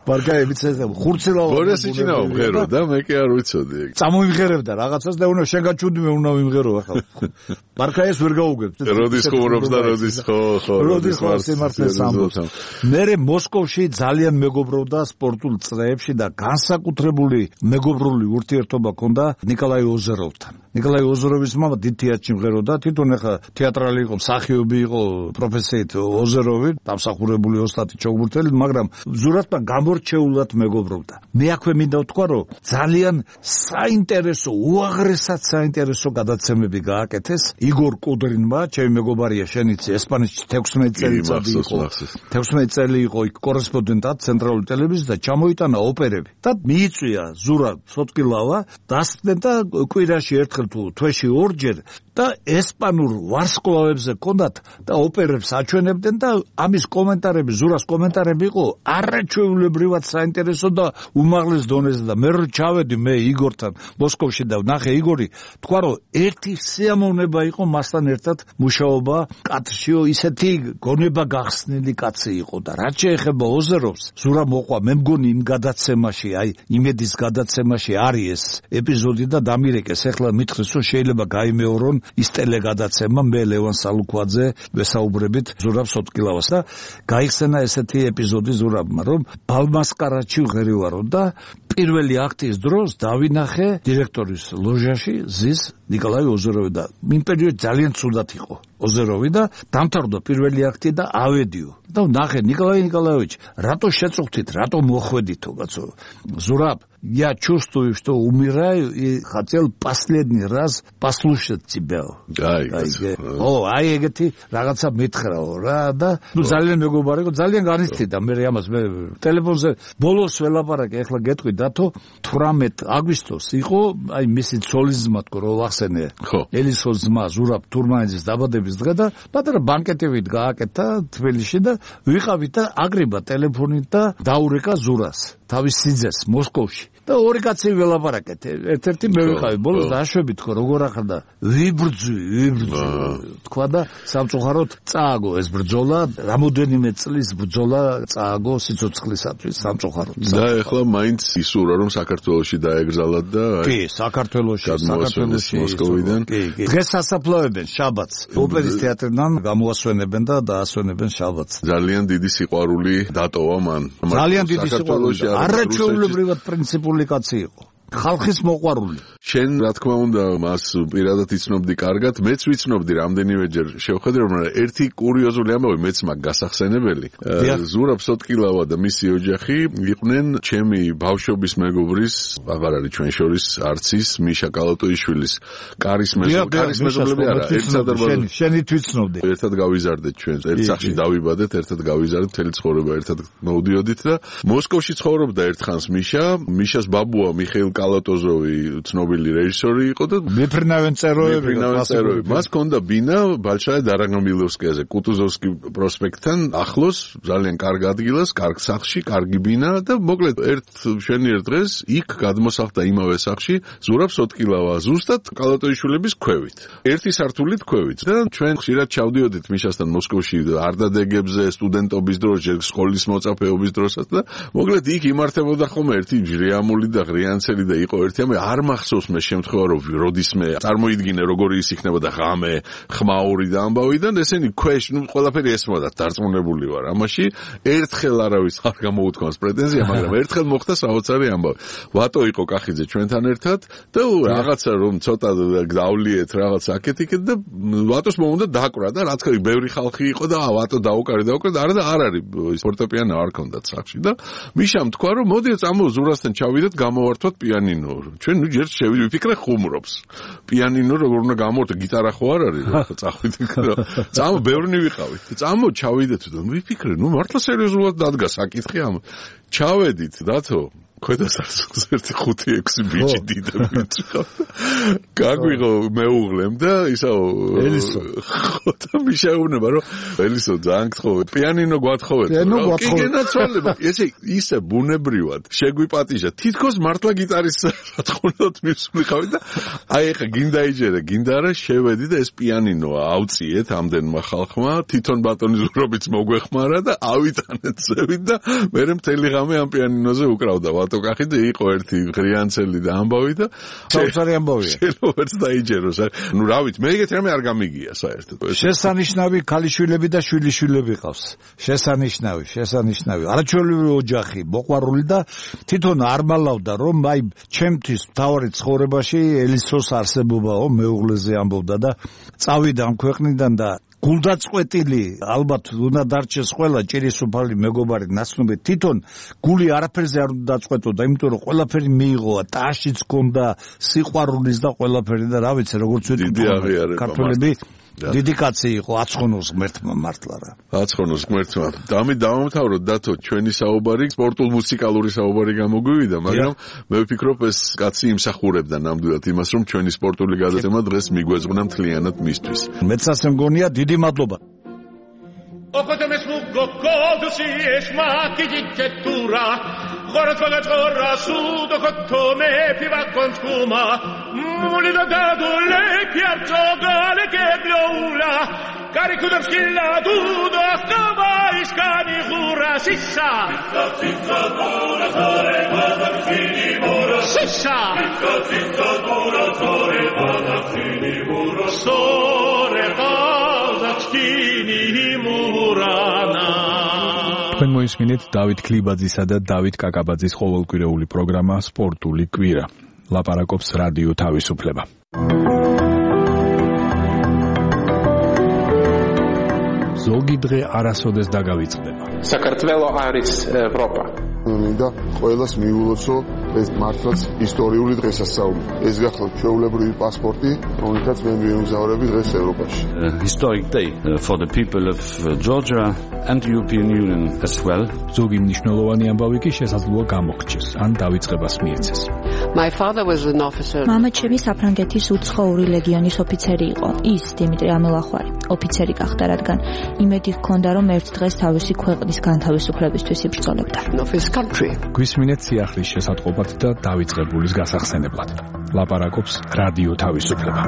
ბარქაია მიცეს ხურცილაო. ბორიას ჭინაო მღერო და მე კი არ ვიცოდი ეგ. წამოიმღერებდა რაღაცას და უნდა შენ გაჩვდი მე უნდა ვიმღერო ახლა. ბარქაიას ვერ გაუგებ. როდის ხუმრობს და როდის ხო ხო როდის ხო სიმართლეს ამბობს. მე მოსკოვში ძალიან მეგობრობდა სპორტულ წრეებში და განსაკუთრებული მეგობრული ურთიერთობა ჰქონდა ნიკოლაი ოზეროვთან. ნიკოლაი ოზეროვის მამა დიდ თეატრში მღეროდა, თვითონ ახლა თეატრალი იყო, მსახიობი იყო პროფესიით ოზეროვი, დამსახურებული ოსტატი ჩოგბურთელი, მაგრამ ზურაბთან გამორჩეულად მეგობრობდა. მე აქვე მინდა ვთქვა, რომ ძალიან საინტერესო, უაღრესად საინტერესო გადაცემები გააკეთეს იგორ კუდრინმა, ჩემი მეგობარია, შენიცი ესპანეთში თექვსმეტი წელი იყო. თექვსმეტი წელი იყო იქ კორესპონდენტად ცენტრალური ტელევიზიის და ჩამოიტანა ოპერები. და მიიწვია ზურაბ სოტკილავა, დასწრდნენ და კვირაში ერთხელ თუ თვეში ორჯერ და ესპანურ ვარსკვლავებზე ჰქონდათ და ოპერებს აჩვენებდნენ და ამის კომენტარები, ზურას კომენტარები იყო არაჩვეულებრივად საინტერესო და უმაღლეს დონეზე და მე რო ჩავედი მე იგორთან მოსკოვში და ვნახე იგორი, თქვა რომ ერთი სიამოვნება იყო მასთან ერთად მუშაობა კადრშიო, ისეთი გონება გახსნილი კაცი იყო და რაც შეეხება ოზეროვს, ზურა მოყვა, მე მგონი იმ გადაცემაში, აი იმედის გადაცემაში არის ეს ეპიზოდი და დამირეკეს, ეხლა მითხრეს რომ შეიძლება გაიმეორონ ის ტელეგადაცემა, მე ლევან სალუქვაძე ვესაუბრებით ზურაბ სოტკილავას და გაიხსენა ესეთი ეპიზოდი ზურაბმა, რომ ბალმასკარატში ვღერივარო და პირველი აქტის დროს დავინახე დირექტორის ლოჟაში ზის ნიკოლაი ოზეროვი და იმ პერიოდში ძალიან ცუდად იყო ოზეროვი და დამთავრდა პირველი აქტი და ავედიო და ნახე ნიკოლაი ნიკოლაევიჩ, რატო შეწუხდით, рато მოხვედითო კაცო? Зураб, я чувствую, что умираю и хотел последний раз послушать тебя. Ай, о, აი ეგეთი რაღაცა მითხრაო რა და ნუ ძალიან მეგობარი იყო, ძალიან განიცდიდა მე ამას მე ტელეფონზე ბოლოს ველაპარაკე, ეხლა გეტყვი დათო თვრამეტი აგვისტოს იყო, აი მისი ცოლის ძმა თქო რო ვახსენე. ელისოს ძმა ზურაბ თურმანიძის დაბადების დღე და პატარა ბანკეტივით გააკეთა თბილისში და ვიყავით და აგრიბა ტელეფონით და დაურეკა ზურას თავის სიძეს მოსკოვში. და ორი კაცი ველაპარაკეთ. ერთ-ერთი მე ვიყავი ბოლოს დაშვებით თქო როგორ ახლა ვიბრძვი, ვიბრძვი. თქვა და სამწუხაროდ წააგო ეს ბრძოლა, რამოდენიმე წლის ბრძოლა წააგო სიცოცხლისათვის სამწუხაროდ. და ეხლა მაინც ისურვა რომ საქართველოში დაეგრძალათ და კი, საქართველოში, საქართველოში მოსკოვიდან. დღეს ასაფლავებენ შაბათს. ოპერის თეატრიდან გამოასვენებენ და დაასვენებენ შაბათს. ძალიან დიდი სიყვარული დატოვა მან. ძალიან დიდი სიყვარული. არაჩვეულებრივად პრინციპული კაცი იყო. ხალხის მოყვარული. შენ რა თქმა უნდა მას პირადად იცნობდი კარგად, მეც ვიცნობდი რამდენიმეჯერ შევხედე, რომ ერთი კურიოზული ამბავი მეც მაგ გასახსენებელი. ზურაბ სოტკილავა და მისი ოჯახი იყვნენ ჩემი ბავშვობის მეგობრის, აღარ არის ჩვენ შორის არცის მიშა კალატოიშვილის კარის მეზობელი, კარის მეზობელი არა, ერთ სადარბაზო. შენი თვითცნობდი. ერთად გავიზარდეთ ჩვენ, ერთ სახლში დავიბადეთ, ერთად გავიზარდეთ, მთელი ცხოვრება ერთად მოვდიოდით და მოსკოვში ცხოვრობდა ერთხანს მიშა, მიშას ბაბუა მიხეილ კალატოზოვი ცნობილი რეჟისორი იყო და მეფრინავენ წეროები, მეფრინავენ წეროები. მას ჰქონდა ბინა ბალშაე დარაგამილოვსკიაზე, კუტუზოვსკი პროსპექტთან ახლოს, ძალიან კარგ ადგილას, კარგ სახლში, კარგი ბინა და მოკლედ ერთ შენიერ დღეს იქ გადმოსახლდა იმავე სახლში ზურაბ სოტკილავა, ზუსტად კალატოიშვილების ქვევით. ერთი სართულით ქვევით და ჩვენ ხშირად ჩავდიოდით მიშასთან მოსკოვში არდადეგებზე, სტუდენტობის დროს, სკოლის მოწაფეობის დროსაც და მოკლედ იქ იმართებოდა ხოლმე ერთი ჟრიამული და ღრიანცელი და იყო ერთი ამე არ მახსოვს მე შემთხვევა რომ როდისმე წარმოიდგინე როგორი ის იქნებოდა ღამე, ხმაური და ამბავიდან ესენი ქვეშ, ნუ ყველაფერი ესმოდათ, დარწმუნებული ვარ. ამაში ერთხელ არავის არ გამოუთქვამს პრეტენზია, მაგრამ ერთხელ მოხდა საოცარი ამბავი. ვატო იყო კახიძე ჩვენთან ერთად და რაღაცა რომ ცოტა დავლიეთ რაღაც აკეთიკეთ და ვატოს მომუნდა დაკვრა და რა თქმა უნდა ბევრი ხალხი იყო და ვატო დაუკარი დაუკარი და არა და არ არის ფორტეპიანო არ ქონდათ სახში და მიშამ თქვა რომ მოდი წამო ზურასთან ჩავიდეთ გამოვართვათ პიანინო. ჩვენ ნუ ჯერ შევიდე ვიფიქრე ხუმრობს. პიანინო როგორ უნდა გამოვართო, გიტარა ხო არ არის რა, წავიდეთ რა. წამო ბევრნი ვიყავით. წამო ჩავიდეთ და ვიფიქრე, ნუ მართლა სერიოზულად დადგა საკითხი ამ. ჩავედით დათო ქვედასარცულს ერთი ხუთი ექვსი ბიჭი დიდებიც ხავდა. გაგვიღო მეუღლემ და ისაო ელისო ხო და მიშეუნება რომ ელისო ძალიან გთხოვე პიანინო გვათხოვეთ. პიანინო გვათხოვეთ. კი გენაცვალება. ესე ისე ბუნებრივად შეგვიპატიჟა. თითქოს მართლა გიტარის რატყუნოთ მისული ხავი და აი ეხა გინდა იჯერე, გინდა რა შევედი და ეს პიანინო ავწიეთ ამდენმა ხალხმა, თვითონ ბატონის ზურობიც მოგვეხმარა და ავიტანეთ ზევით და მე მთელი ღამე ამ პიანინოზე უკრავდა ვატოკახი და იყო ერთი ღრიანცელი და ამბავი და საოცარი ამბავია. შენოაც დაიჯეროს. ნუ რა ვიცი, მე ეგეთ რამე არ გამიგია საერთოდ. შესანიშნავი ქალიშვილები და შვილიშვილები ყავს. შესანიშნავი, შესანიშნავი. არაჩვეულებრივი ოჯახი, მოყვარული და თვითონ არ მალავდა რომ აი ჩემთვის მთავარი ცხოვრებაში ელისოს არსებობაო მეუღლეზე ამბობდა და წავიდა ამ ქვეყნიდან და გულდაწყვეტილი ალბათ უნდა დარჩეს ყველა ჭირისუფალი მეგობარი ნაცნობი თვითონ გული არაფერზე არ უნდა დაწყვეტოდა იმიტომ რომ ყველაფერი მიიღოა ტაშიც ჰქონდა სიყვარულის და ყველაფერი და რა ვიცი როგორც ვიტყვი ქართველები დიდი კაცი იყო აცხონოს ღმერთმა მართლა რა აცხონოს ღმერთმა დამი დავამთავროთ დათო ჩვენი საუბარი სპორტულ მუსიკალური საუბარი გამოგვივიდა მაგრამ მე ვფიქრობ ეს კაცი იმსახურებდა ნამდვილად იმას რომ ჩვენი სპორტული გადაცემა დღეს მიგვეძღვნა მთლიანად მისთვის მეც ასე მგონია დიდი მადლობა ოქოთე მესმუგო კოდუსი ეშმაკი ჯიჭეტურა ხორაც ვაგაჭორა სუდო ხოთომე ფივა კონსკუმა მული და დადულე ფიარწო გალე კებლოულა კარიკუდებს კილა დუდო ხტობა ისკანი ხურა სისა სისა დურა ზორე ბადახინი მურო სისა სისა დურა ზორე ბადახინი მურო სორე ბადახინი თქვენ მოისმინეთ დავით ქლიბაძისა და დავით კაკაბაძის ყოველკვირეული პროგრამა სპორტული კვირა. ლაპარაკობს რადიო თავისუფლება. ზოგი დღე არასოდეს დაგავიწყდება. საქართველო არის ევროპა. მინდა ყველას მიულოცო ეს მართლაც ისტორიული დღესასწაული. ეს გახლავთ ჩვეულებრივი პასპორტი, რომელთაც მე მივემგზავრები დღეს ევროპაში. Historic day for the people of Georgia and the European Union as well. ზოგი მნიშვნელოვანი ამბავი კი შესაძლოა გამოგრჩეს, ან დავიწყებას მიეცეს. My father was an officer. მამა ჩემი საფრანგეთის უცხოური ლეგიონის ოფიცერი იყო. ის დიმიტრი ამელახვარი, ოფიცერი გახდა, რადგან იმედი ჰქონდა, რომ ერთ დღეს თავისი ქვეყნის განთავისუფლებისთვის იბრძოლებდა. გვისმინეთ სიახლის შესატყობად და დავიწყებულის გასახსენებლად. ლაპარაკობს რადიო თავისუფლება.